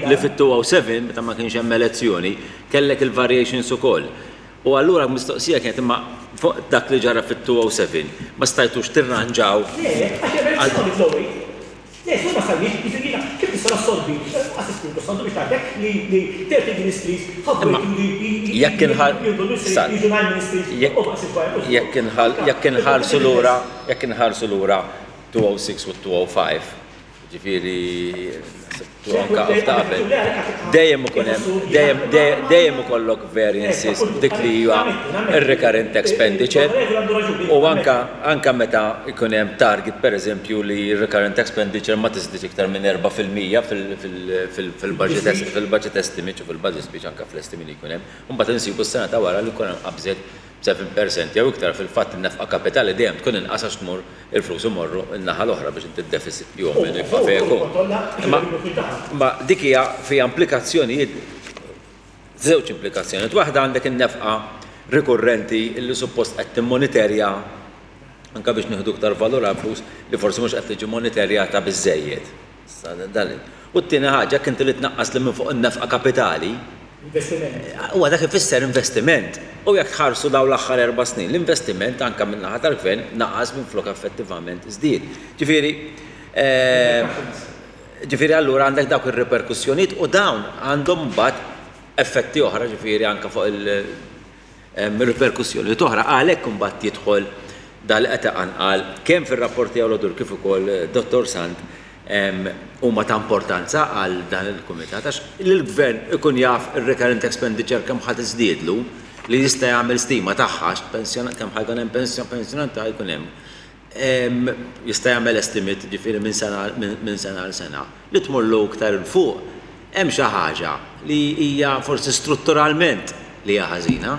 A: li fit-207 meta ma kienx hemm elezzjoni kellek il-variations ukoll. U allura l-mistoqsija kienet imma fuq dak li ġara fit-207 ma stajtux tirranġaw.
C: Le, għax hemm elezzjoni fl-08. Le, żgur ma stajniex, jiġifieri jiena kif nista' nassorbi, lanqas l-Ispirtu s-Santu biex ngħidlek li li 30 ministries ħabbu jgħidu li
A: Jekk inħar
C: jieħdu l-ministri jiġu 9 ministries u ma qasitx wara
A: Jekk inħal jekk inħarsu lura jekk inħarsu lura 206 u 205, jiġifieri naħseb tu anke ta' qabel, dejjem ikun hemm dejjem dejjem ikollok variances f'dik li hija r-recurrent expenditure u anke anke meta jkun hemm target pereżempju li r-recurrent expenditure ma tiżdiedx iktar minn 4% fil-budget fil-budget estimate u fil-budget speech anke fl-estimi li jkun hemm, u mbagħad insibu s-sena ta' wara li jkun hemm qabżet b'seven per cent jew iktar, fil-fatt in-nefqa kapitali dejjem tkun inqas għax tmur il-flus imorru n-naħa l-oħra biex inti d-deficit jew minn jibqa' fejn ikun. Imma imma dik hija fiha implikazzjonijiet. Żewġ implikazzjonijiet. Waħda għandek in-nefqa rikurrenti li suppost qed timmoniterja anke biex nieħdu iktar valur għall-flus li forsi mhux qed tiġi moniterjata biżżejjed. U t-tieni ħaġa, jekk inti li tnaqqas li minn fuq in-nefqa kapitali, huwa dak ifisser investiment. U jekk tħarsu dawn l-aħħar 4 snin, l-investiment anke min-naħa tal-gvern naqas minflok effettivament żdied. Ġifieri allura għandek dawk ir-riperkussjonijiet u dawn għandhom mbagħad effetti oħra, ġifieri anke fuq il-riperkussjonijiet oħra. Għalhekk imbagħad jidħol dal qed iqanqal kemm fir-rapport tiegħu l kif ukoll Dottor Sant huma ta' importanza għal dan il-kumitat għax l-gvern ikun jaf ir-recurrent expenditure kemm ħa tiżdiedlu li jista' jagħmel stima tagħha pensjonat kemm ħa jkun hemm pensjonant jkun hemm jista' jagħmel estimate ġifieri minn sena għal sena. Li tmurlu iktar 'il fuq hemm xi ħaġa li hija forsi strutturalment li hija ħażina.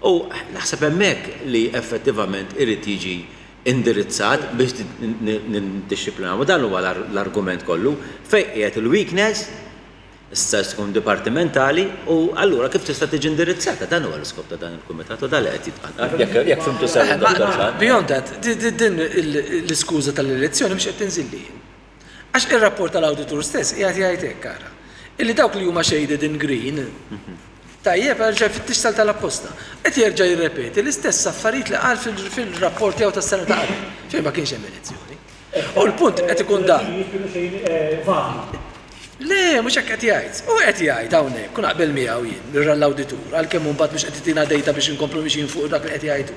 A: U naħseb hemmhekk li effettivament irid jiġi indirizzat biex nindixxiplinaw. U dan huwa l-argument kollu fejn qiegħed il-weakness issa tkun dipartimentali u allura kif tista' tiġi indirizzata? Dan huwa l-iskop ta' dan il-kumitat u dan li qed jitqanqal. Jekk fhimtu sew, Dottor Sant.
G: Beyond that, din l-iskuża tal-elezzjoni mhux qed tinżilli. Għax ir-rapport tal-awditur stess qiegħed jgħid hekk ara. Illi dawk li huma shaded in green, tajjeb, erġa' fittix tal-apposta. Qed jerġa' jirrepeti l-istess affarijiet li qal fil-rapport tiegħu tas-sena ta' qabel, fejn ma kienx hemm elezzjoni. U l-punt qed ikun dan. Le, mhux hekk qed jgħid. U qed jgħid hawnhekk, kun naqbel miegħu jien, l-awditur, għalkemm mbagħad mhux qed itina data biex inkomplu mixjin fuq dak li qed jgħidu.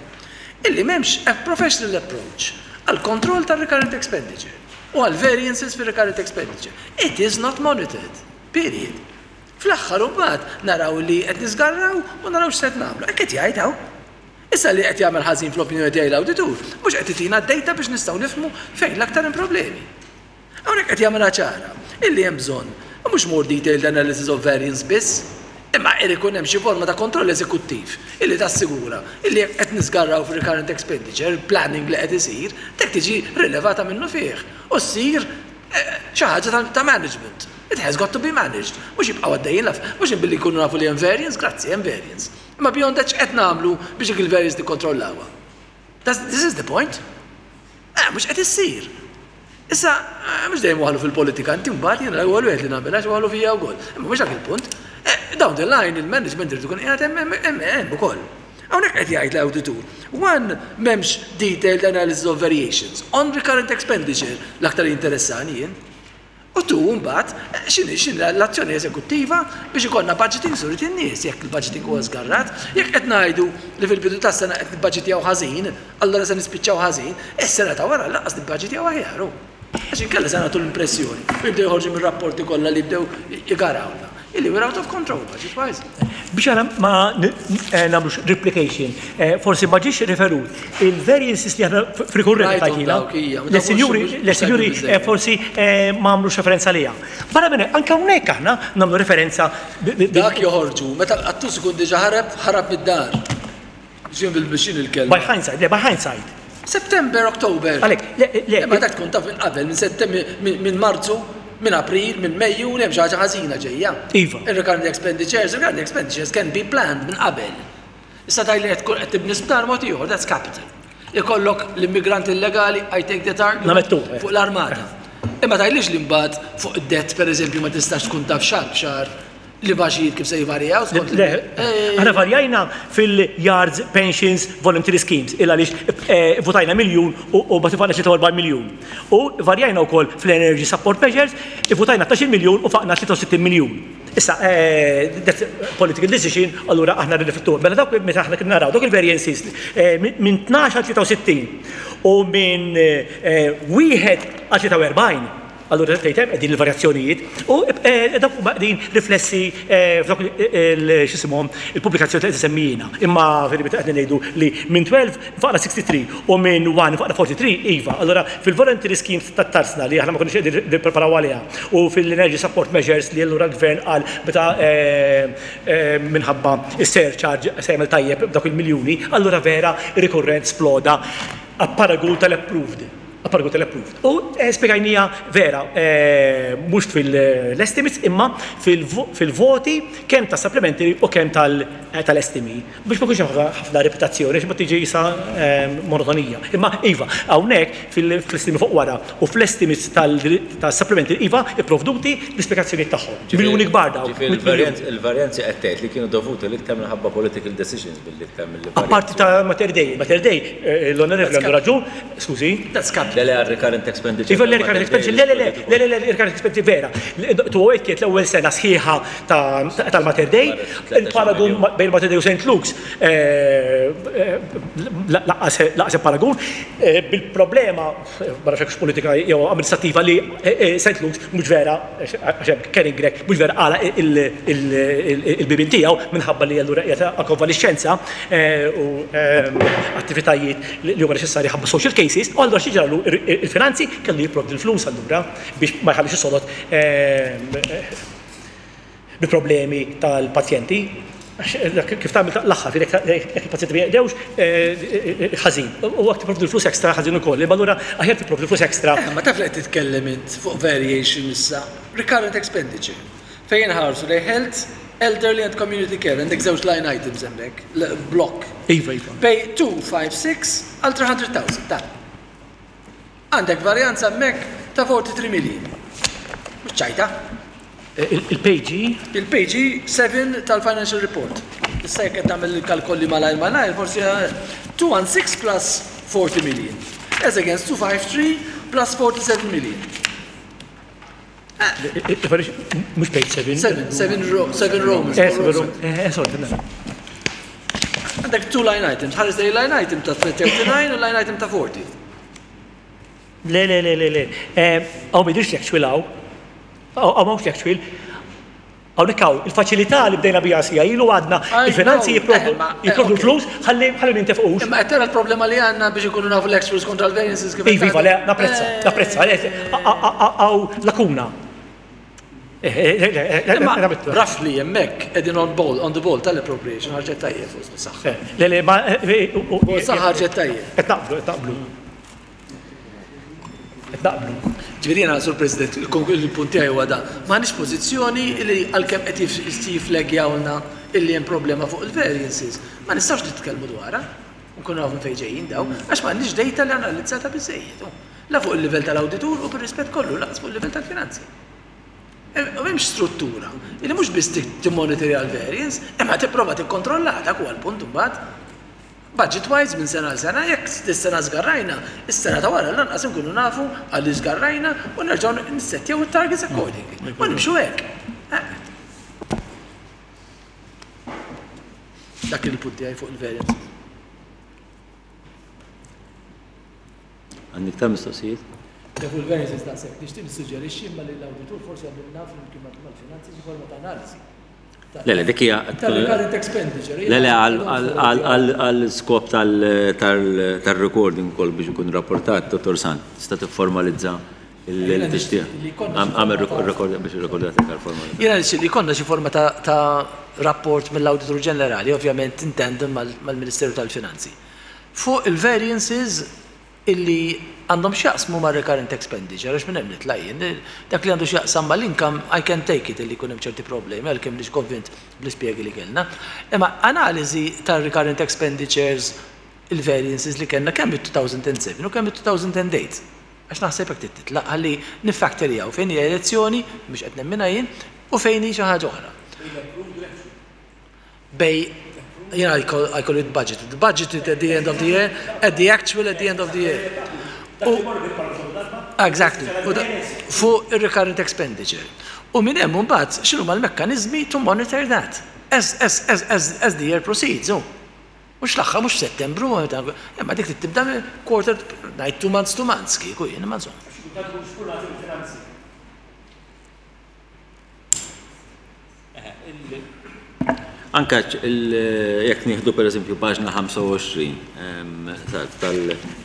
G: Illi m'hemmx a professional approach għal kontroll tar-recurrent expenditure u għal variances fir-recurrent expenditure. It is not monitored. Period. Fl-aħħar mbagħad naraw li qed nisgarraw u naraw x'se nagħmlu. Hekk qed jgħid hawn. Issa li qed jagħmel ħażin fl-opinjoni tiegħi l-awditur, mhux qed itina d-data biex nistgħu nifhmu fejn l-aktar hemm problemi. Hawnhekk qed jagħmilha ċara illi hemm bżonn mhux more detailed analysis of variance biss, imma irid ikun hemm xi forma ta' kontroll eżekuttiv illi tassigura illi jekk qed nisgarraw fir-recurrent expenditure, planning li qed isir, dik tiġi rilevata minnu fih u ssir xi ħaġa ta' management. It has got to be managed. Mhux jibqgħu għaddejjin laf, mhux billi jkunu nafu li hemm variance, grazzi hemm variance. Imma beyond that x'qed nagħmlu biex dik il-variance nikkontrollawha. This is the point. Mhux qed issir. Issa, mhux dejjem waħlu fil-politika, inti mbagħad jiena l-ewwel wieħed li nagħmel għax waħlu fija wkoll. Imma mhux dak il-punt. Down the line il-management irid ikun qiegħed hemm ukoll. Hawnhekk qed jgħid l-awditur. One, m'hemmx detailed analysis of variations on recurrent expenditure l-aktar interessani jien. U tu mbagħad x'inhi x'inhi l-azzjoni eżekuttiva biex ikollna budgeting surit in-nies, jekk il-budgeting huwa żgarrat, jekk qed ngħidu li fil-bidu tas-sena qed nibbaġitjaw ħażin, allura se nispiċċaw ħażin, is-sena ta' wara lanqas nibbaġitjaw aħjar. Għax inkella se nagħtu l-impressjoni u jibdew joħorġu mir-rapporti kollha li jibdew igarawna. Illi we're out of control budget wise.
C: Biex għana ma nagħmlux replication, forsi ma ġiex referut il-variances li aħna f'rikurrenti
G: Rajthom
C: tajtina.
G: dawk, ija, ma
C: Le sinjuri,
G: dawk
C: le
G: mhux
C: sinjuri
G: mhux biżżejjed.
C: Forsi ma għamlux referenza liha. Barra minn hekk, anke hawnhekk aħna nagħmlu referenza
G: Dak joħorġu, meta l-qattus ikun diġà ħarab, ħarab mid-dar. Ġin bil-bixin il-kelma.
C: By hindsight, le, by hindsight.
G: September, October.
C: Għalek, le, le.
G: Imma dak tkun taf minn qabel, minn Settembru, minn Marzu, minn April, minn Mejju, li hemm xi ħaġa ħażina ġejja.
C: Iva.
G: Il-recurrent expenditures, recurrent expenditures can be planned minn qabel. Issa taj li qed tkun qed tibni sptar mod ieħor, that's capital. Ikollok l-immigranti illegali, I take that argument
C: Namettu, eh.
G: fuq l-armata. Imma tajlix li mbagħad fuq id-debt pereżempju ma tistax tkun taf xahar b'xahar li baġit kif se jvarjaw skont
C: Le, aħna varjajna fil-yards pensions voluntary schemes, illa għaliex votajna miljun u mbagħad faqna 43 miljun. U varjajna wkoll fl-energy support measures, votajna 12 miljun u faqna 63 miljun. Issa, that's political decision, allura aħna rriflettu. Mela dawk meta aħna kien naraw dawk il-variances minn 12 għal 63 u minn 1 għal 43. Allura tgħid hemm qegħdin il-varjazzjonijiet u dawk huma qegħdin riflessi f'dawk x'isimhom il-pubblikazzjoni li qed isemmijina. Imma fil-meta qed ngħidu li minn 12 faqna 63 u minn 1 faqna 43, iva. Allura fil-voluntary schemes tat-tarsna li aħna ma konniex qegħdin nippreparaw għaliha u fil-energy support measures li allura l-gvern qal meta minħabba is-surcharge se jagħmel tajjeb b'dawk il-miljuni, allura vera rikurrent sploda a paragun tal-approved. Appargu tal-approved. U spjegajnija vera, mhux fil-estimates imma fil-voti kemm ta' supplementary u kemm tal-estimi. Biex ma jkunx hemm ħafna ripetazzjoni, għax imbagħad tiġi qisha monotonija. Imma iva, hawnhekk fl-estimi fuq wara u fl-estimates tas-supplementary iva ipprovduti l-ispjegazzjonijiet tagħhom. Miljuni kbar dawn.
A: Ġifieri il-varjanzi qed tgħid li kienu dovuti l-iktar minħabba political decisions billi iktar milli varjanzi.
C: Apparti ta' Mater Dei. Mater Dei, l-Onorevoli għandu raġun, Skużi?
G: That's capital.
A: Le, le, għal-recurrent expenditure.
C: Iva, l-recurrent expenditure, le, le, le, le, le, le, recurrent expenditure vera. 208 kienet l-ewwel sena sħiħa tal-Mater Dei, il-paragun bejn Mater Dei u St. Luke's lanqas paragun, bil-problema, ma nafx politika jew amministrattiva li St. Luke's mhux vera, għax hemm Karen Grech, mhux vera għalaq il-bibien tiegħu minħabba li allura qiegħed għal konvalixxenza u attivitajiet li huma neċessarji ħabba social cases, u allura xi ġralu il-finanzi kellu jipprovdi l-flus allura biex ma jħallix is-sodod bi problemi tal-pazjenti. Kif tagħmel l-aħħar, jekk il-pazjenti ma jeqdewx, ħażin. U għak tipprovdi l-flus extra ħażin ukoll. Imma allura aħjar tipprovdi l-flus extra.
G: Ma taf li qed titkellem int fuq variation issa, recurrent expenditure. Fejn inħarsu lejn health, elderly and community care, għandek żewġ line items hemmhekk, block.
C: Iva, iva.
G: Bej 256 għal 300,000, ta. Għandek varjanza hemmhekk ta' 43 million. Mhux ċajta.
C: Il-page?
G: Il-page 7 tal-financial report. Issa jekk qed tagħmel il-kalkoli malajr malajr, forsi 216 plus 40 million. As against 253 plus 47 million.
C: Mhux page 7.
G: 7, 7, 7 Romans.
C: Eh, sorry, mela.
G: Għandek two line items, ħares lejn line item ta' 39 u line item ta' 40.
C: Le, le, le, le, le. Għaw ma jidhirx l-actual hawn. Għaw m'hawnx l-actual. Hawnhekk hawn il-faċilità li bdejna biha sija ilu għadna il-finanzi jipprovdu l-flus ħalli ħalli nintefqux.
G: Imma qed tara l-problema li għandna biex inkunu nafu l-actuals kontra l-variances kif.
C: Iva, iva, le, napprezza, napprezza, hawn lakuna.
G: Imma roughly hemmhekk qegħdin on ball, on the ball tal-appropriation ħarġet tajjeb fuq is-saħħa.
C: Le, le, ma.
G: Fuq is-saħħa ħarġet tajjeb.
C: Qed naqblu, qed naqblu. Qed naqblu.
G: Ġifieri jiena, Sur President, il-punt tiegħi huwa dan. M'għandniex pożizzjoni li għalkemm qed jifflegjawlna illi hemm problema fuq il-variances, ma nistgħux nitkellmu dwarha, nkunu nafu minn fejn ġejjin dawn, għax m'għandniex data li analizzata biżżejjed. La fuq il-livell tal-awditur u bir-rispett kollu lanqas fuq il-livell tal-finanzi. M'hemmx struttura li mhux biss timmonitorja l-variance, imma tipprova tikkontrollaha, dak huwa l-punt imbagħad. Budget wise minn sena għal sena, jekk dis-sena żgarrajna, is-sena ta' wara lanqas inkunu nafu għaliex żgarrajna u nerġgħu nissettjaw it-targets accordingly. U nimxu hekk. Dak kien il-punt tiegħi fuq il-variances.
A: Għandek iktar mistoqsijiet?
G: Le fuq il-variances daqshekk. Nixtieq nissuġġerixxi imma li l-awditur forsi jagħmlilna flimkien mal-finanzi xi forma ta' analiżi.
A: Le, le, dik hija.
G: Tal-recurrent expenditure.
A: Le, le, għal skop tal-recording ukoll biex ikun rapportat, Dottor Sant, tista' tifformalizza li tixtieq. Għamel record biex irrekordjat iktar formali.
G: Jiena nixtieq li jkollna xi forma ta' rapport mill-Awditur Ġenerali, ovvjament in tandem mal-Ministeru tal-Finanzi, fuq il-variances illi għandhom x'jaqsmu mar-recurrent expenditure, għax minn hemm nitla' jien. Dak li għandu x'jaqsam mal-income, I can take it illi jkun hemm ċerti problemi, għalkemm m'iniex konvint bl-ispjegi li kellna. Imma analiżi tar-recurrent expenditures, il-variances li kellna kemm mit-2007 u kemm mit-2008. Għax naħseb hekk trid titlaq ħalli niffactorjaw fejn hija elezzjoni, mhux qed nemminha jien, u fejn hi xi ħaġa oħra. Bej, jiena I call, I call it budgeted. Budgeted at the end of the year, at the actual at the end of the year. U, exactly. U fuq il-recurrent expenditure. U minn hemm imbagħad x'inhuma l-mekkaniżmi to monitor that as, as, as, as, as the year proceeds. Oh. Mhux l-aħħar, mhux f'Settembru, imma dik trid tibda quarter, ngħid two months, two months kieku jien, imma insomma.
A: Anka jekk nieħdu pereżempju paġna 25 tal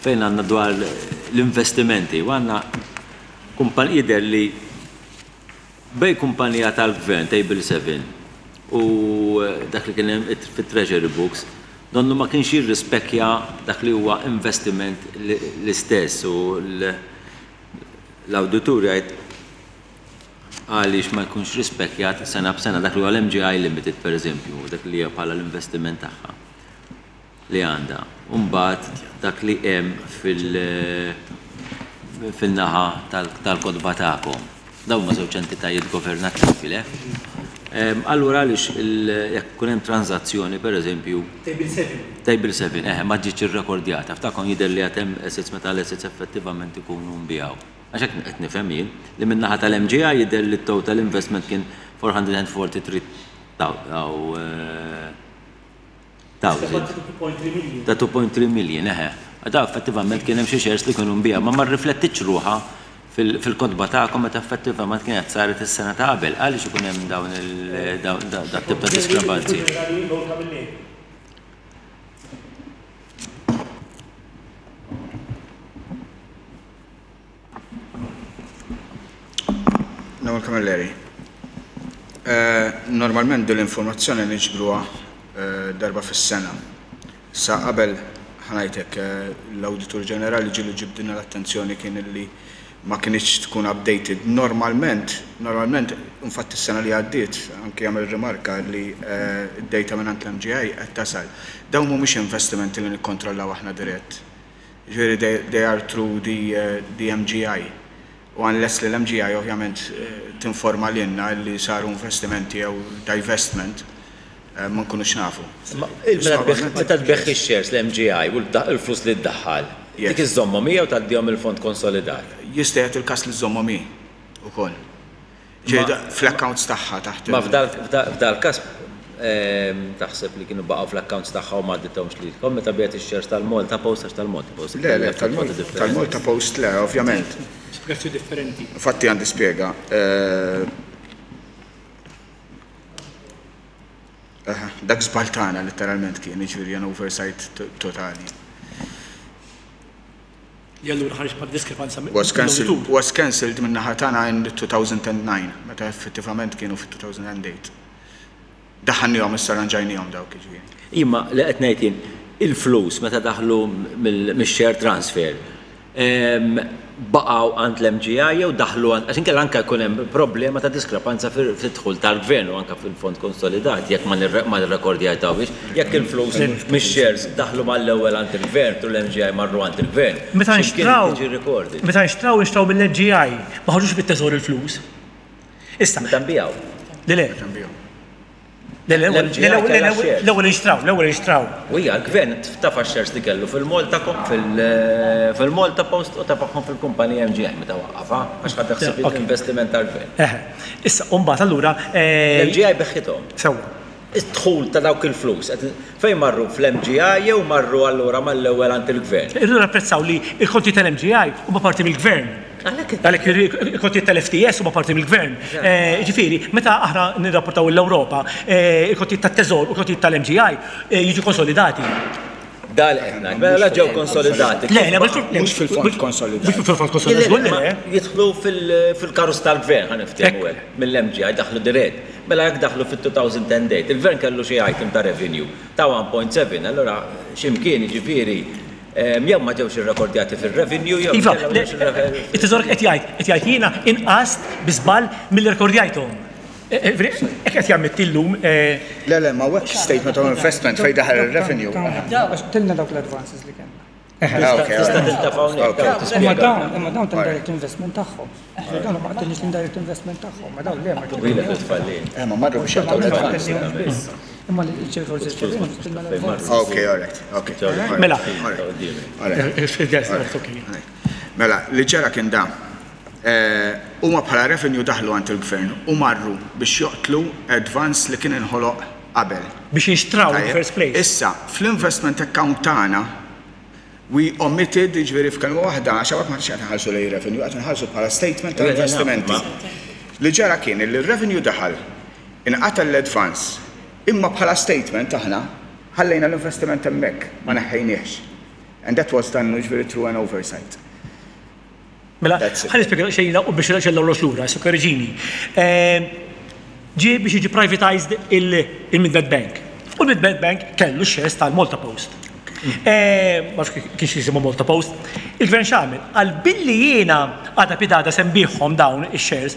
A: fejn għandna dwar l-investimenti u għandna kumpan jidher li bej kumpanija tal-gvern Table 7 u dak li kien hemm fit-Treasury Books. Donnu ma kienx jirrispekkja dak li huwa investiment l-istess u l-awditur jgħid għaliex ma jkunx rispekkjat sena b'sena dak li huwa l-MGI Limited pereżempju, dak li hija bħala l-investiment tagħha li għandha. U mbagħad dak li hemm fil-naħa tal-kotba tagħkom. Dawn huma żewġ entitajiet governattivi, le? Allura għaliex jekk ikun hemm tranżazzjoni, pereżempju.
C: Table 7.
A: Table 7, eħe, ma ġietx irrekordjata. F'tagħkom jidher li għad hemm assets meta l-assets effettivament ikunu nbiegħu. Għax hekk qed nifhem jien, li min-naħa tal-MGI jidher li t-total investment kien 443 thousand. Ta' 2.3 million, eħe. Da effettivament kien hemm xi shares li kienu nbiegħu, ma ma rriflettitx ruħha fil-kotba tagħkom meta effettivament kienet saret is-sena ta' qabel. Għaliex ikun hemm dawn dat-tip ta' diskrepanzi?
I: Noel Camilleri. Normalment din l-informazzjoni niġbruha darba fis-sena. Sa qabel ħa ngħid hekk, l-Awditur Ġenerali ġieli ġibdilna l-attenzjoni kien illi ma kinitx tkun updated. Normalment, normalment, infatti s-sena li għaddiet anki għamel rimarka li d-data mingħand l-MGI qed tasal. Dawn mhumiex investimenti li nikkontrollaw aħna dirett. Jiġifieri they, they are through the, the MGI. U unless li l-MGI ovvjament tinforma lilna li saru investimenti jew divestment, ma nkunux nafu.
A: Imma meta tbigħ ix-shares l-MGI u l-flus li ddaħħal, dik iżżommhom hi jew tgħaddihom il-fond konsolidat?
I: Jista' jagħti l-każ li żżommhom hi wkoll. Fl-accounts tagħha taħt.
A: Ma f'dal-każ taħseb li kienu baqgħu fl-accounts tagħha u ma għaddithomx lilkom meta biegħet ix-shares tal-Malta Post għax tal-Malta Post.
I: Le, le, tal-Malta Post le, ovvjament.
C: Spjegazzjoni differenti.
I: Infatti għandi spjega. Dak żball tagħna letteralment kien, jiġifieri an oversight totali.
C: Li allura ħareġ bħala diskrepanza
I: Was cancelled, was cancelled min-naħa tagħna in 2009, meta effettivament kienu fit-2008. Daħħalniehom issa rranġajniehom dawk jiġifieri.
A: Imma li qed ngħid jien, il-flus meta daħlu mix-share transfer, baqgħu għand l-MGI jew daħlu għand, għax inkella anke jkun hemm problema ta' diskrepanza fid-dħul tal-Gvern u anke fil-fond konsolidat jekk ma nirrekordjajtawhiex, jekk il-flus mix-shares daħlu mal-ewwel għand il-Gvern through l-MGI marru għand il-Gvern.
C: Meta nxtraw, meta nxtraw, inxtraw mill-MGI, ma ħarġux mit-teżor il-flus. Issa.
A: Meta nbiegħu.
C: Le, le.
I: Meta nbiegħu.
C: L-ewwel inxtraw, l-ewwel inxtraw.
A: U hija l-gvern tafa' x-shares li kellu fil-Malta fil-Malta Post u tefagħhom fil-kumpanija MGI meta waqqafha għax ħadd ħsieb l-investiment tal-gvern.
C: Issa, u mbagħad allura.
A: L-MGI beħħithom.
C: Sewwa.
A: Id-dħul ta' dawk il-flus fejn marru fl-MGI jew marru allura mal-ewwel għand il-gvern?
C: Irridu napprezzaw li l-kontijiet tal-MGI huma parti mill-gvern. Għalhekk il-kontijiet tal-FTS huma parti mill-gvern. Jiġifieri, meta aħna nirrapportaw lill-Ewropa, il-kontijiet tat-Teżor u l-kontijiet tal-MGI jiġu konsolidati.
A: Dan li qed ngħid. Mela la ġew konsolidati.
C: Le, le,
I: mhux fil-fond konsolidat.
C: Mhux fil-fond konsolidat, żgur li le.
A: Jidħlu fil-karus tal-gvern, ħa niftehmu hekk, mill-MGI daħlu dirett. Mela jekk daħlu fit-2008, il-gvern kellu xi item ta' revenue ta' 1.7, allura xi mkien jiġifieri Jew ma ġewx irrekordjati fir-revenue jew
C: Iva, it-teżor qed jgħid, qed jgħid jiena inqast bi żball milli rrekordjajthom. Hekk qed jammetti llum.
I: Le, le, ma hawnhekk statement of investment fejn daħal ir-revenue.
J: Għax tilna dawk l-advances li kellna.
A: Tista' tintefa' hawnhekk.
J: Imma dawn, imma dawn ta' direct investment tagħhom. Dawn ma qtilniex l-indirect investment tagħhom, ma dawn le ma
A: Twila titfallin.
I: Eh, ma marru biex jaqtgħu l-advance.
J: Imma l-ċirkol tilna l-advance.
I: Ok, all right, ok.
C: Mela.
I: Mela, li ġara kien dan. Huma bħala revenue daħlu għand il-gvern u marru biex joqtlu advance li kien inħoloq qabel.
C: Biex jinxtraw in the first place.
I: Issa, fl-investment account tagħna, We omitted, jiġifieri f'kelma waħda, għax hawnhekk m'aħniex qed inħarsu lejn revenue, qed inħarsu bħala statement ta' investimenti. Li ġara kien illi r-revenue daħal, inqatel l-advance, imma bħala statement aħna ħallejna l-investiment hemmhekk, ma neħħejniehx. And that was done, jiġifieri through an oversight.
C: Mela, ħa nispjega xejn u biex l-orloġ lura, issa korreġini. Ġie biex jiġi privatized il-Midnight Bank. U l-Mid-Med Bank kellu x-shares tal-Malta Post. Eh, ma nafx kienx jisimhom Malta Post. Il-gvern x'għamel? Qal billi jiena għada pitgħada se nbigħhom dawn ix-shares,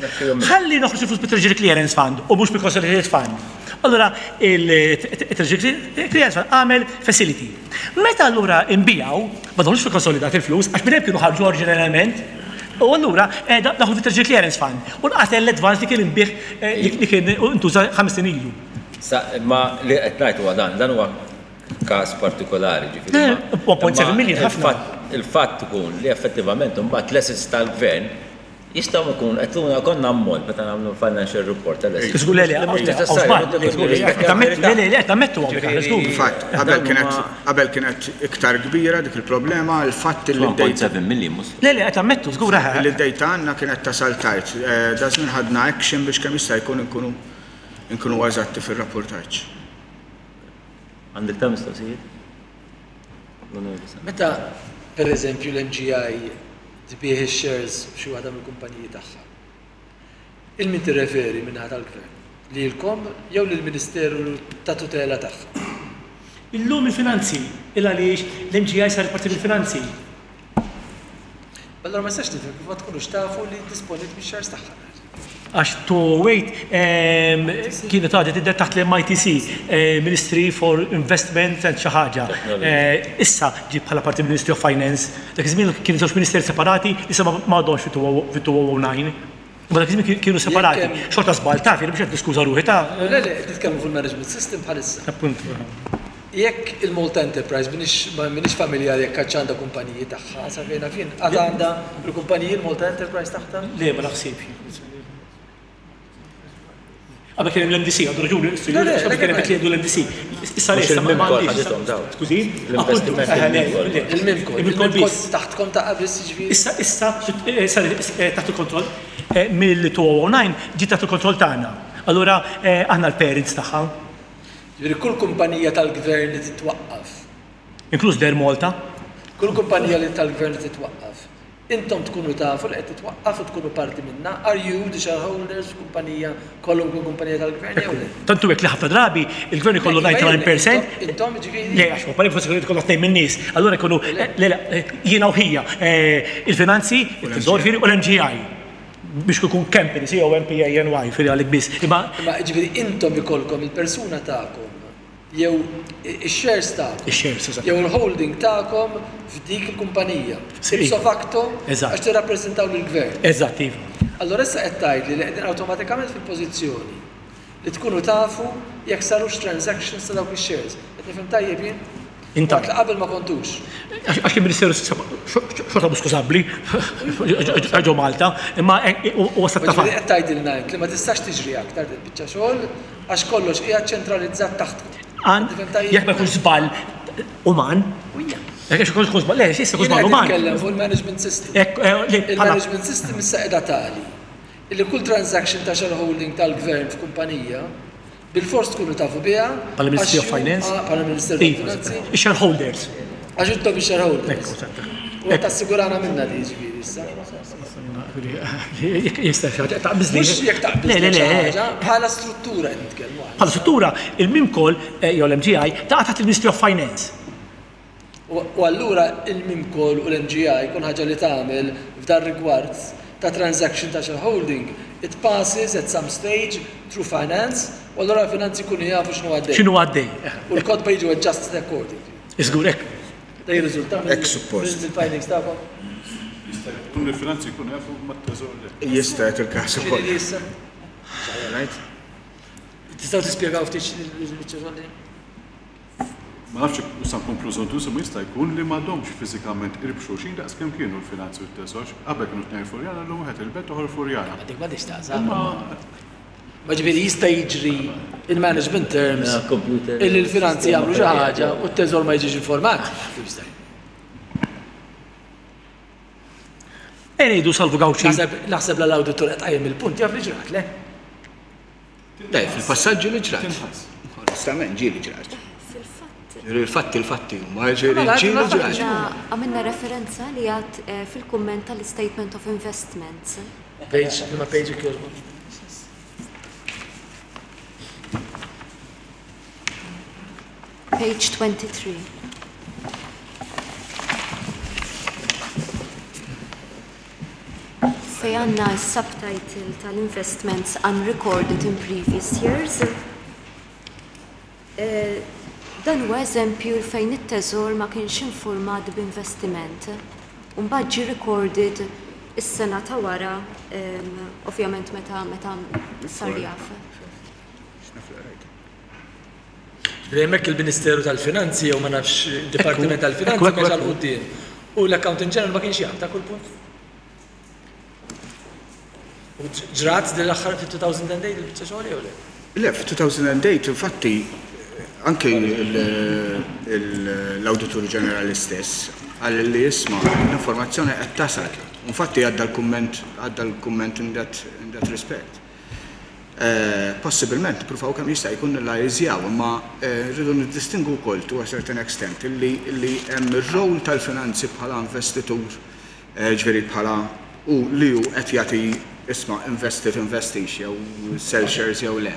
C: ħalli noħroġ il-flus mit-Treasury Clearance Fund u mhux mill-Consolidated Fund. Allura il-Treasury Clearance Fund għamel facility. Meta allura nbiegħu, ma daħlux fil-konsolidat il-flus, għax minn hemm kienu ħarġu oriġinarjament, u allura eh, daħlu fit-Treasury Clearance Fund u nqatel l-advance li kien inbiegħ eh, li kien intuża ħames snin ilu.
A: Sa, imma li qed ngħid huwa dan, dan huwa każ partikolari, ġifieri.
C: 1.7 million ħafna.
A: Il-fatt ikun li effettivament imbagħad l-assets tal-gvern jistgħu jkun qed tuna konna ammont meta nagħmlu financial report tal-assets.
C: Żgur le le, mhux neċessarju. Le le, qed nammettu hawnhekk aħna żgur.
I: Fatt, qabel kienet qabel kienet iktar kbira dik il-problema, il-fatt li
A: 1.7 million mhux.
C: Le le, qed nammettu żgur.
I: Li d-data għandna kienet tasal tard. Daż-żmien ħadna action biex kemm jista' jkun inkunu inkunu eżatti fir-rappurtaġġ.
A: Għandek ta' mistoqsijiet?
G: Meta, per eżempju, l-MGI tbigħ ix-shares f'xi waħda mill-kumpaniji tagħha, 'il min tirreferi min-naħa tal-Gvern? Lilkom jew lill-Ministeru ta' tutela tagħha?
C: Illum il-Finanzi, il għaliex l-MGI saret parti mill-Finanzi.
G: Allura ma nistax nifhem kif ma tkunux tafu li disponiet mix-shares tagħha.
C: Għax to wait kienet għadha tidher taħt l-MITC, Ministry for Investment and xi ħaġa. Issa ġiet bħala parti mill-Ministry of Finance. Dak iż-żmien kienu żewġ ministeri separati li issa m'għadhomx fit-2009. Imma dak iż-żmien kienu separati. Xorta żball taf, jien mhux qed niskuża ruħi ta'.
G: Le, le, qed nitkellmu fuq il-management system bħalissa.
C: Appunt.
G: Jekk il-Malta Enterprise, m'iniex ma m'iniex familjari jekk għadx għandha kumpaniji tagħha, sa fejn naf jien, għad għandha l-kumpaniji l-Malta Enterprise taħtha?
C: Le, ma naħsibx. Qabel kien hemm l-MDC, għandu raġuni,
G: Le, le,
C: qabel kien hemm jgħidu l-MDC. Issa le, issa ma
A: Il-Mimcol ħadithom dawn.
C: Skużi?
A: L-investiment
C: Appuntu, le,
A: il-Mimcol.
C: le.
G: Il-Mimcol.
C: Il-Mimcol
G: Il-Mimcol
C: biss.
G: taħtkom taqa' biss jiġifieri?
C: Issa, issa, saret taħt il-kontroll mill-2009 ġiet taħt il-kontroll tagħna. Allura aħna l-parents tagħha.
G: Jiġifieri kull kumpanija tal-gvern li titwaqqaf.
C: Inkluż l-Air Malta.
G: Kull kumpanija li tal-gvern li titwaqqaf. Intom tkunu tafu li qed titwaqqaf u tkunu parti minnha. Are you the shareholders f'kumpanija, kwalunkwe kumpanija tal-gvern jew le?
C: Tant hu hekk li ħafna drabi il-gvern ikollu 99 per cent.
G: Intom jiġifieri?
C: Le, għax kumpanija forsi jkollha tnejn min-nies. Allura jkunu, le, le, jiena u ħija, il-finanzi, it-teżor, u l-MGI. Biex ikun company, C-O-M-P-A-N-Y, firri għalik biss. Imma.
G: Imma jiġifieri intom ikollkom il-persuna tagħkom jew ix-shares tagħkom.
C: Ix-shares, eżatt.
G: Jew il-holding tagħkom f'dik il-kumpanija. Ipso facto għax tirrappreżentaw lill-gvern.
C: Eżatt, iva.
G: Allura issa qed tgħidli li qegħdin awtomatikament fil-pożizzjoni li tkunu tafu jekk sarux transactions ta' dawk ix-shares. Qed nifhem tajjeb jien?
C: Intant.
G: Waqt li qabel ma kontux.
C: Għax il-Ministeru xorta mhux skużabbli ġo Malta, imma huwa stat ta' fatt.
G: Ġifieri qed tgħidilna int li ma tistax tiġri aktar din il-biċċa xogħol għax kollox qiegħed ċentralizzat taħtkom.
C: Jekk ma jkunx żball uman. Jekk ikun żball, le, issa jkun żball uman.
G: Jiena qed nitkellem fuq il-management system. Il-management system issa qiegħda tali illi kull transaction ta' shareholding tal-gvern f'kumpanija Bilfors tkunu tafu biha.
C: Bħala Ministry of Finance.
G: Bħala Ministeru tal-Finanzi.
C: Ix-shareholders.
G: Għax intom ix-shareholders. U qed tassigurana minnha di jiġifieri issa.
C: Jista' xi ħaġa taqbiżli.
G: Mhux jekk taqbiżli.
C: Le, le, le.
G: Bħala struttura qed nitkellmu aħna.
C: Bħala struttura, il-MIMCOL jew l-MGI taqa' taħt il-Ministry of Finance.
G: U allura il-MIMCOL u l-MGI kull ħaġa li tagħmel f'dar rigward ta' transaction ta' shareholding, it passes at some stage through finance u allura l-finanzi jkunu jafu x'inhu għaddej.
C: X'inhu għaddej.
G: U l-kotba jiġu adjusted accordingly.
C: Żgur hekk.
G: Da jirriżulta mill-findings tagħkom?
F: Jista' jkun li l-finanzi jkunu jafu imma t-teżor le.
I: Jista' jagħti l-każ ukoll.
G: X'inhi issa?
I: Right?
G: Tistgħu tispjegaw ftit x'inhi l-biċċa xogħol din?
F: Ma nafx jekk sa nkun prużuntuż imma jista' jkun li m'għadhomx fiżikament qrib xulxin daqs kemm kienu l-finanzi u t-teżor. Qabel kienu tnejn Furjana llum wieħed il-Belt u ieħor Furjana.
G: Ma dik m'għandhiex x'taqsam. Ma ġifieri jista' jiġri in management terms illi l-finanzi jagħmlu xi ħaġa u t-teżor ma jiġix informat? Kif jista' jkun?
C: Ejja ngħidu Salvu Gauci.
G: Naħseb la l-awditur qed tqajjem il-punt jaf li ġrat, le?
K: Le, fil-passaġġi li ġrat. Onestament, ġieli ġrat.
H: Fil-fatt.
K: Ġieli l-fatti l-fatti huma, ġieli ġieli ġrat.
H: Għamilna referenza li għad fil-kumment tal-Statement of Investments.
G: Page, liema page jekk jogħġbok?
H: Page 23. Fejn għandna s-subtitle tal-investments unrecorded in previous years. Dan huwa eżempju fejn it-Teżor ma kienx infurmat b'investiment u mbagħad ġie recorded is-sena ta' wara, ovvjament meta meta sar jaf.
G: Ġifieri hemmhekk il-Ministeru tal-Finanzi jew ma nafx id-Dipartiment tal-Finanzi mexa 'l quddiem u l-Accountant General ma kienx jaf ta' kull punt. U ġrat din l-aħħar fit-2008 il-biċċa xogħol jew le?
I: Le, fit-2008 infatti anke l-Awditur Ġenerali stess qal li isma' l-informazzjoni qed tasal. Infatti għadda l-kumment għadda l-kumment in that in that respect. Possibilment nippruvaw kemm jista' jkun nillajżjaw, imma rridu niddistingwu wkoll to a certain extent illi illi hemm ir-role tal-finanzi bħala investitur, jiġifieri bħala hu li hu qed jagħti isma' investi tinvestix jew sell shares jew le.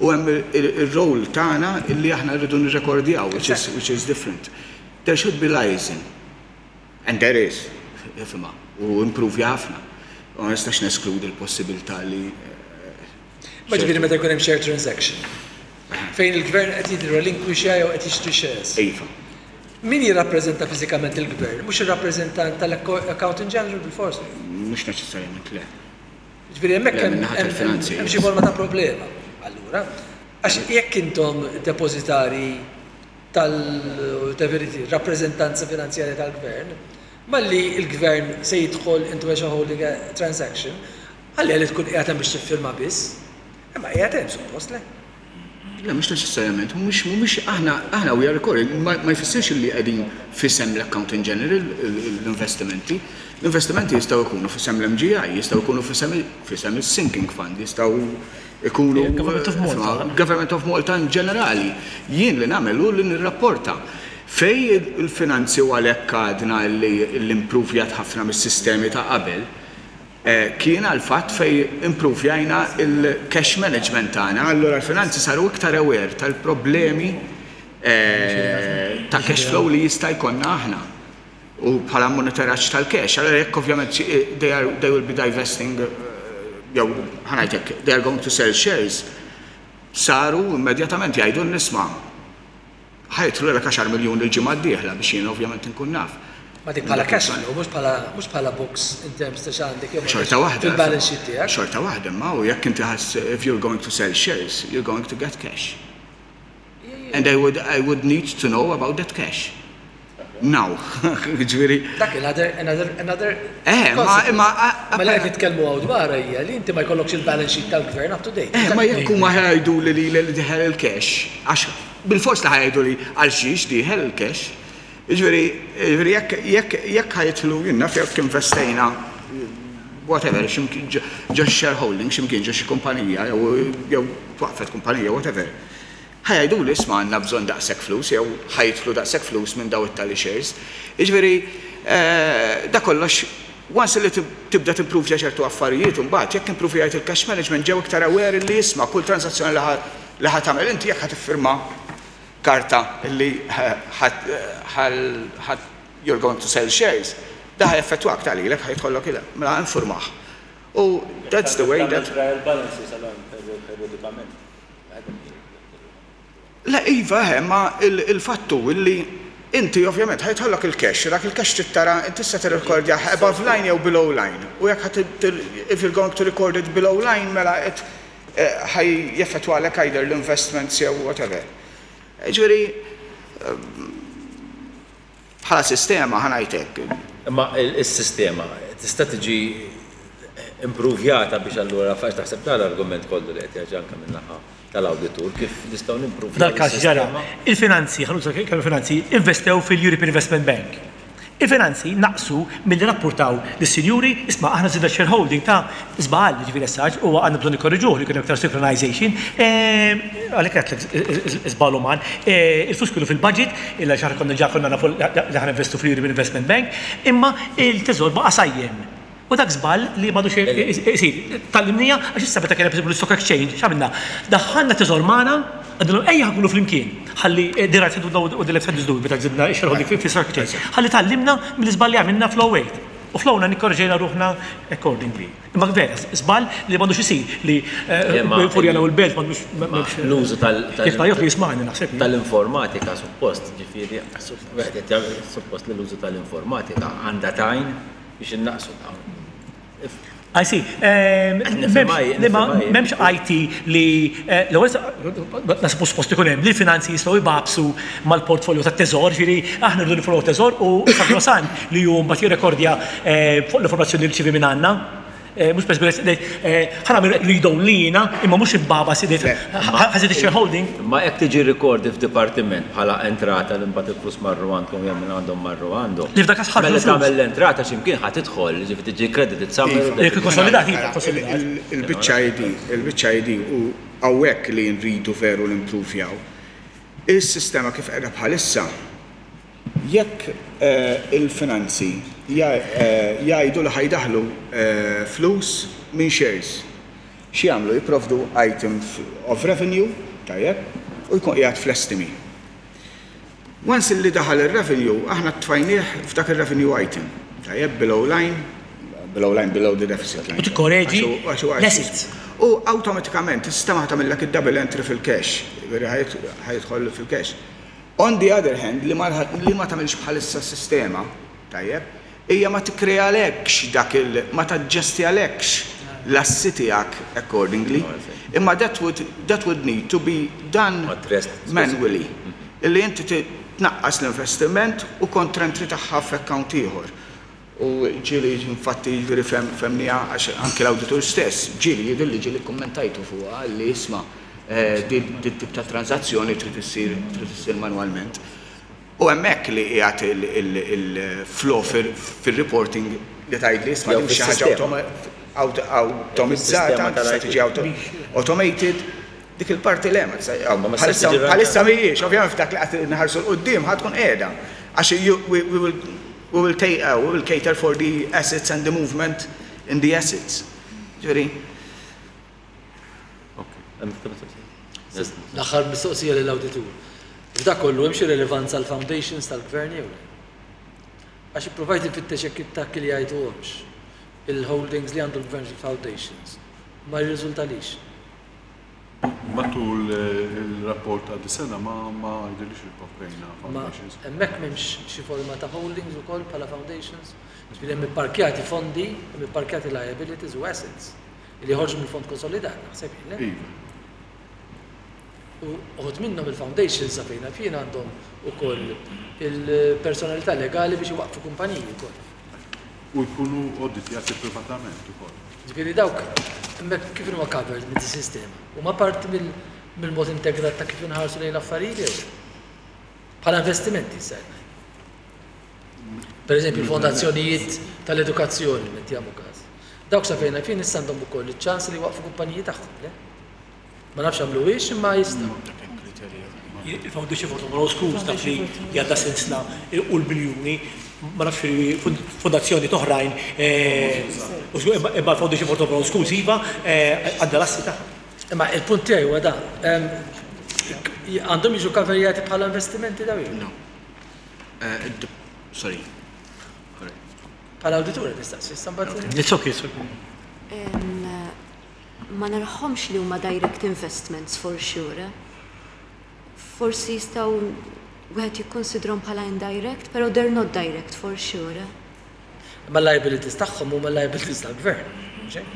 I: U hemm ir-role tagħna illi aħna rridu nirrekordjaw which is which is different. There should be liaison. And there is, ifhimha, u impruvja ħafna. Ma nistax neskludi l-possibilità li.
G: Ma ġifieri meta jkun hemm share transaction, fejn il-gvern qed jirrelinkwixja jew qed jixtri shares.
I: Iva.
G: Min jirrappreżenta fiżikament il-gvern? Mhux ir-rappreżentant tal-Accountant General bilfors?
I: Mhux neċessarjament le.
G: Ġifieri hemmhekk hemm xi forma ta' problema. Allura, għax jekk intom depożitarji tal-rappreżentanza finanzjarja tal-gvern, malli l-gvern se jidħol into a shareholding transaction, għalija li tkun qiegħed hemm biex tiffirma biss, imma qiegħed hemm suppost, le?
I: Le, mhux neċessarjament, mhumiex, mhumiex, aħna, aħna we are recording, ma jfissirx li qegħdin f'isem l-Accountant General l-investimenti. L-investimenti jistgħu jkunu f'isem l-MGI, jistgħu jkunu f'isem, f'isem is-sinking fund, jistgħu ikunu
C: Government of Malta.
I: Government of Malta in ġenerali. Jien li nagħmel hu li nirrapporta. Fej il-finanzi u għalhekk għadna li l-impruvjat ħafna mis-sistemi ta' qabel, kien għal fatt fej impruvjajna il-cash management tagħna, allura l-finanzi saru iktar aware tal-problemi ta' cash flow li jista' jkollna aħna. U bħala monitoraġġ tal-cash, allura jekk ovvjament they are they will be divesting jew ħa ngħid hekk, they are going to sell shares, saru immedjatament jgħidu nisma' ħa jidħlulek għaxar miljun il-ġimgħa d-dieħla biex jien ovvjament inkun naf.
G: Ma dik bħala cash flow, mhux bħala mhux bħala books in terms ta' x'għandek jew
I: Xorta waħda.
G: fil-balance sheet tiegħek.
I: Xorta waħda, imma u jekk inti ħass if you're going to sell shares, you're going to get cash. And I would I would need to know about that cash. Now. Ġifieri.
G: Dak another another another.
I: Eh, ma imma.
G: Ma li qed nitkellmu hawn dwarha hija li inti ma jkollokx il-balance sheet tal-gvern up to date.
I: Eh, ma jekk huma ħa jgħiduli li li dieħel il-cash, għax bilfors li ħa jgħiduli għal xiex dieħel il-cash. Jiġifieri, jiġifieri jekk jekk jekk ħa jidħlu jien naf jekk investejna whatever, x'imkien ġo shareholding, x'imkien ġo xi kumpanija jew jew twaqqfet kumpanija whatever. Ħa jgħiduli isma' għandna bżonn daqshekk flus jew ħa jidħlu daqshekk flus minn daw it-tali shares. Jiġifieri da kollox once li tibda timpruvja ċertu affarijiet imbagħad jekk impruvjajt il-cash management ġew iktar aware li isma' kull transazzjoni li ħa tagħmel inti jekk ħa tiffirma karta li ħa you're going to sell shares, da ħa jaffettwak ta' lilek ħa jidħollok il mela infurmah. U that's the way that.
A: Tagħmel trial balances allura periodikament.
I: Le iva eħe, imma il-fatt hu illi inti ovvjament ħa jidħollok il-cash u dak il-cash trid tara inti tista' tirrikordjah above line jew below line u jekk ħa if you're going to record it below line mela qed ħa jeffettwalek either l-investments jew whatever. Jiġifieri Bħala sistema, ħa ngħid hekk.
A: Imma s-sistema tista' tiġi impruvjata biex allura għax taħseb dan l-argument kollu li qed jerġa' anke min-naħa tal-awditur kif nistgħu nimpruvjaw
C: F'dal-każ ġara, il-finanzi, ħa nuża kelma finanzi, investew fil-European Investment Bank. Il-finanzi naqsu milli rrappurtaw lis-sinjuri, isma' aħna żidna x-shareholding ta' żball, jiġifieri issa għax huwa għandna bżonn nikkorriġuh li jkun hemm iktar synchronization, għalhekk għedtlek żball uman. Il-flus kienu fil-budget, illa xi ħaġa konna ġa konna nafu li ħa ninvestu fl-European Investment Bank, imma il-Teżor baqa' sajjem. U dak żball li m'għadux isir. Tgħallimniha għax issa meta kien hemm l-Stock Exchange, x'għamilna? Daħħalna Teżor magħna. Għednilhom ejja ħa nkunu flimkien, ħalli the right hand u the left hand is doing meta żidna x-shareholding fi-stock exchange. Ħalli tgħallimna mill-iżball li għamilna fl-08. U fl-09 nikkorreġejna ruħna accordingly. Imma vera, żball li m'għandux isir li Furjana u l-Belt m'għandux.
A: L-użu tal.
C: Jekk ma jismagħni naħseb.
A: Tal-informatika suppost, ġifieri, wieħed qed jagħmel suppost li l-użu tal-informatika għandha tgħin biex innaqqsu dawn.
C: I see. M'hemmx IT li l-ewwel naħseb mhux suppost ikun hemm li l-finanzi jistgħu jbagħbsu mal-portfolio tat-teżor, ġifieri aħna rridu nifollow teżor u sagrosan li hu mbagħad jirrekordja fuq l-informazzjoni li rċievi minn għandna. Mhux per esempio, ħa nagħmel read only jiena, imma mhux imbagħbas ħażid ix-shareholding.
A: Imma jekk tiġi recorded f'dipartiment bħala entrata li mbagħad il-flus marru għandkom jew minn għandhom marru għandhom.
C: Li f'dak każ ħarġu
A: l-flus. Mela tagħmel l-entrata x'imkien ħa tidħol, jiġifieri tiġi credited somewhere.
C: Jekk ikkonsolidat, iva, konsolidat.
I: Il-biċċa hi din, il-biċċa hi din u hawnhekk li nridu veru nimpruvjaw. Is-sistema kif qiegħda bħalissa, Jekk il-finanzi jgħidu li ħa jdaħħlu flus minn shares, x'jagħmlu? Jipprovdu item of revenue, tajjeb, u jkun qiegħed fl-estimi. Once li daħal ir-revenue, aħna tfajnieh f'dak ir-revenue item, tajjeb, below line, below line, below the deficit line.
C: U tikkoreġi l-assets.
I: U awtomatikament is-sistema ħa tagħmillek id-double entry fil-cash, jiġifieri ħa jidħol fil-cash. On the other hand, li ma li ma tagħmilx bħalissa s-sistema, tajjeb, hija ma tikkrealekx dak il, ma taġġestjalekx l-assi tiegħek accordingly. Imma that would, that would need to be done manually. Illi inti tnaqqas l-investiment u contra-entry tagħha f'account ieħor. U ġieli infatti jiġifieri fehmniha għax anki l-awditur stess ġieli jidhirli ġieli kkummentajtu fuqha li isma' din tip ta' tranżazzjoni trid issir trid issir manwalment. U hemmhekk li qiegħed il-flaw fir-reporting li tgħidli isma' din mhix xi ħaġa awtomizzata, tista' tiġi automated. Dik il-parti le, ma tista' bħalissa mhijiex, ovvjament f'dak li qed inħarsu 'l quddiem ħa tkun qiegħda. Għax we will we will we will cater for the assets and the movement in the assets. Ġifieri.
G: L-aħħar mistoqsija lill-awditur. F'dak kollu hemm xi rilevanza għall-foundations tal-Gvern jew le? Għax ippruvajt infittex jekk it-takki li jgħiduhomx il-holdings li għandu l-Gvern fil-foundations. Ma jirriżultalix.
F: Matul il-rapport ta' dis-sena ma ma jidhirlix li koprejna foundations.
G: Ma hemmhekk m'hemmx xi forma ta' holdings ukoll bħala foundations? Jiġifieri hemm ipparkjati fondi, hemm ipparkjati liabilities u assets li joħorġu mill-fond konsolidat, naħseb jien, le?
F: Iva.
G: U uħud minnhom il-foundations sa fejn naf jien għandhom ukoll il-personalità legali biex iwaqqfu kumpaniji wkoll.
F: U jkunu auditjati privatament ukoll.
G: Ġifieri dawk hemmhekk kif inhuma covered minn dis-sistema? Huma parti mill-mod integrat ta' kif inħarsu lejn l-affarijiet jew le? Bħala investimenti issa qed ngħid. Per eżempju l-fondazzjonijiet tal-edukazzjoni, mettiamo każ. Dawk sa fejn naf jien issa għandhom ukoll iċ-ċans li jwaqqfu kumpaniji tagħhom, le? Ma nafx għamluhiex imma jistgħu.
C: Il-Foundation for Tomorrow Schools taf li għandha sinsla u l-biljuni, ma nafx fondazzjoni oħrajn, imma l-Foundation for Tomorrow Schools iva għandha l-assi tagħha.
G: Imma il-punt tiegħi huwa dan. Għandhom jiġu kaverjati bħala investimenti dawn jew?
E: No. Sorry.
G: Bħala awditur qed nistaqsi, issa mbagħad.
C: It's okay, it's okay.
H: Ma narahomx li huma direct investments for sure. Forsi jistgħu wieħed jikkonsidrahom bħala indirect, però they're not direct for sure.
G: Imma l-liabilities tagħhom huma liabilities tal-gvern, mhux hekk?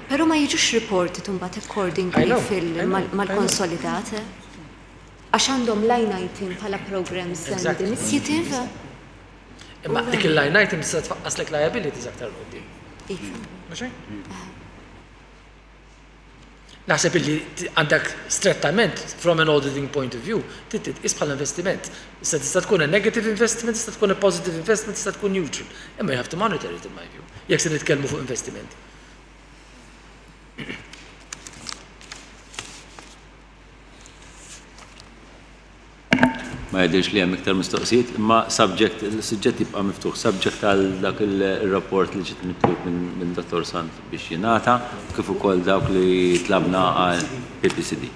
H: Però ma jiġux reported imbagħad accordingly mal-konsolidat. Għax għandhom line item bħala programs and initiative.
G: Imma dik il-line item tista' tfaqqaslek liabilities aktar 'l quddiem.
H: Iva.
G: Mhux hekk? Naħseb illi għandek strettament from an auditing point of view trid titqies bħala investiment. Issa tista' tkun a negative investment, tista' tkun a positive investment, tista' tkun neutral. Imma you have to monitor it in my view, jekk se nitkellmu fuq investimenti.
A: Ma jidhirx li hemm iktar mistoqsijiet, imma subject, il-suġġett jibqa' miftuħ, subject għal dak ir-rapport li ġiet mitlub minn Dottor Sant biex jingħata, kif ukoll dawk li tlabna għal PPCD.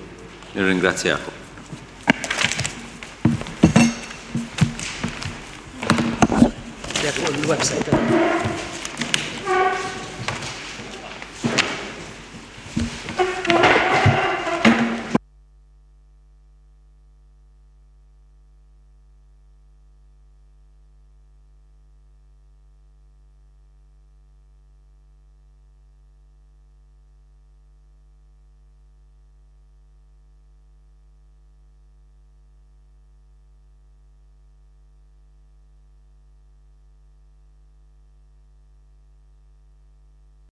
A: Nirringrazzjakom.
G: Fuq il-website.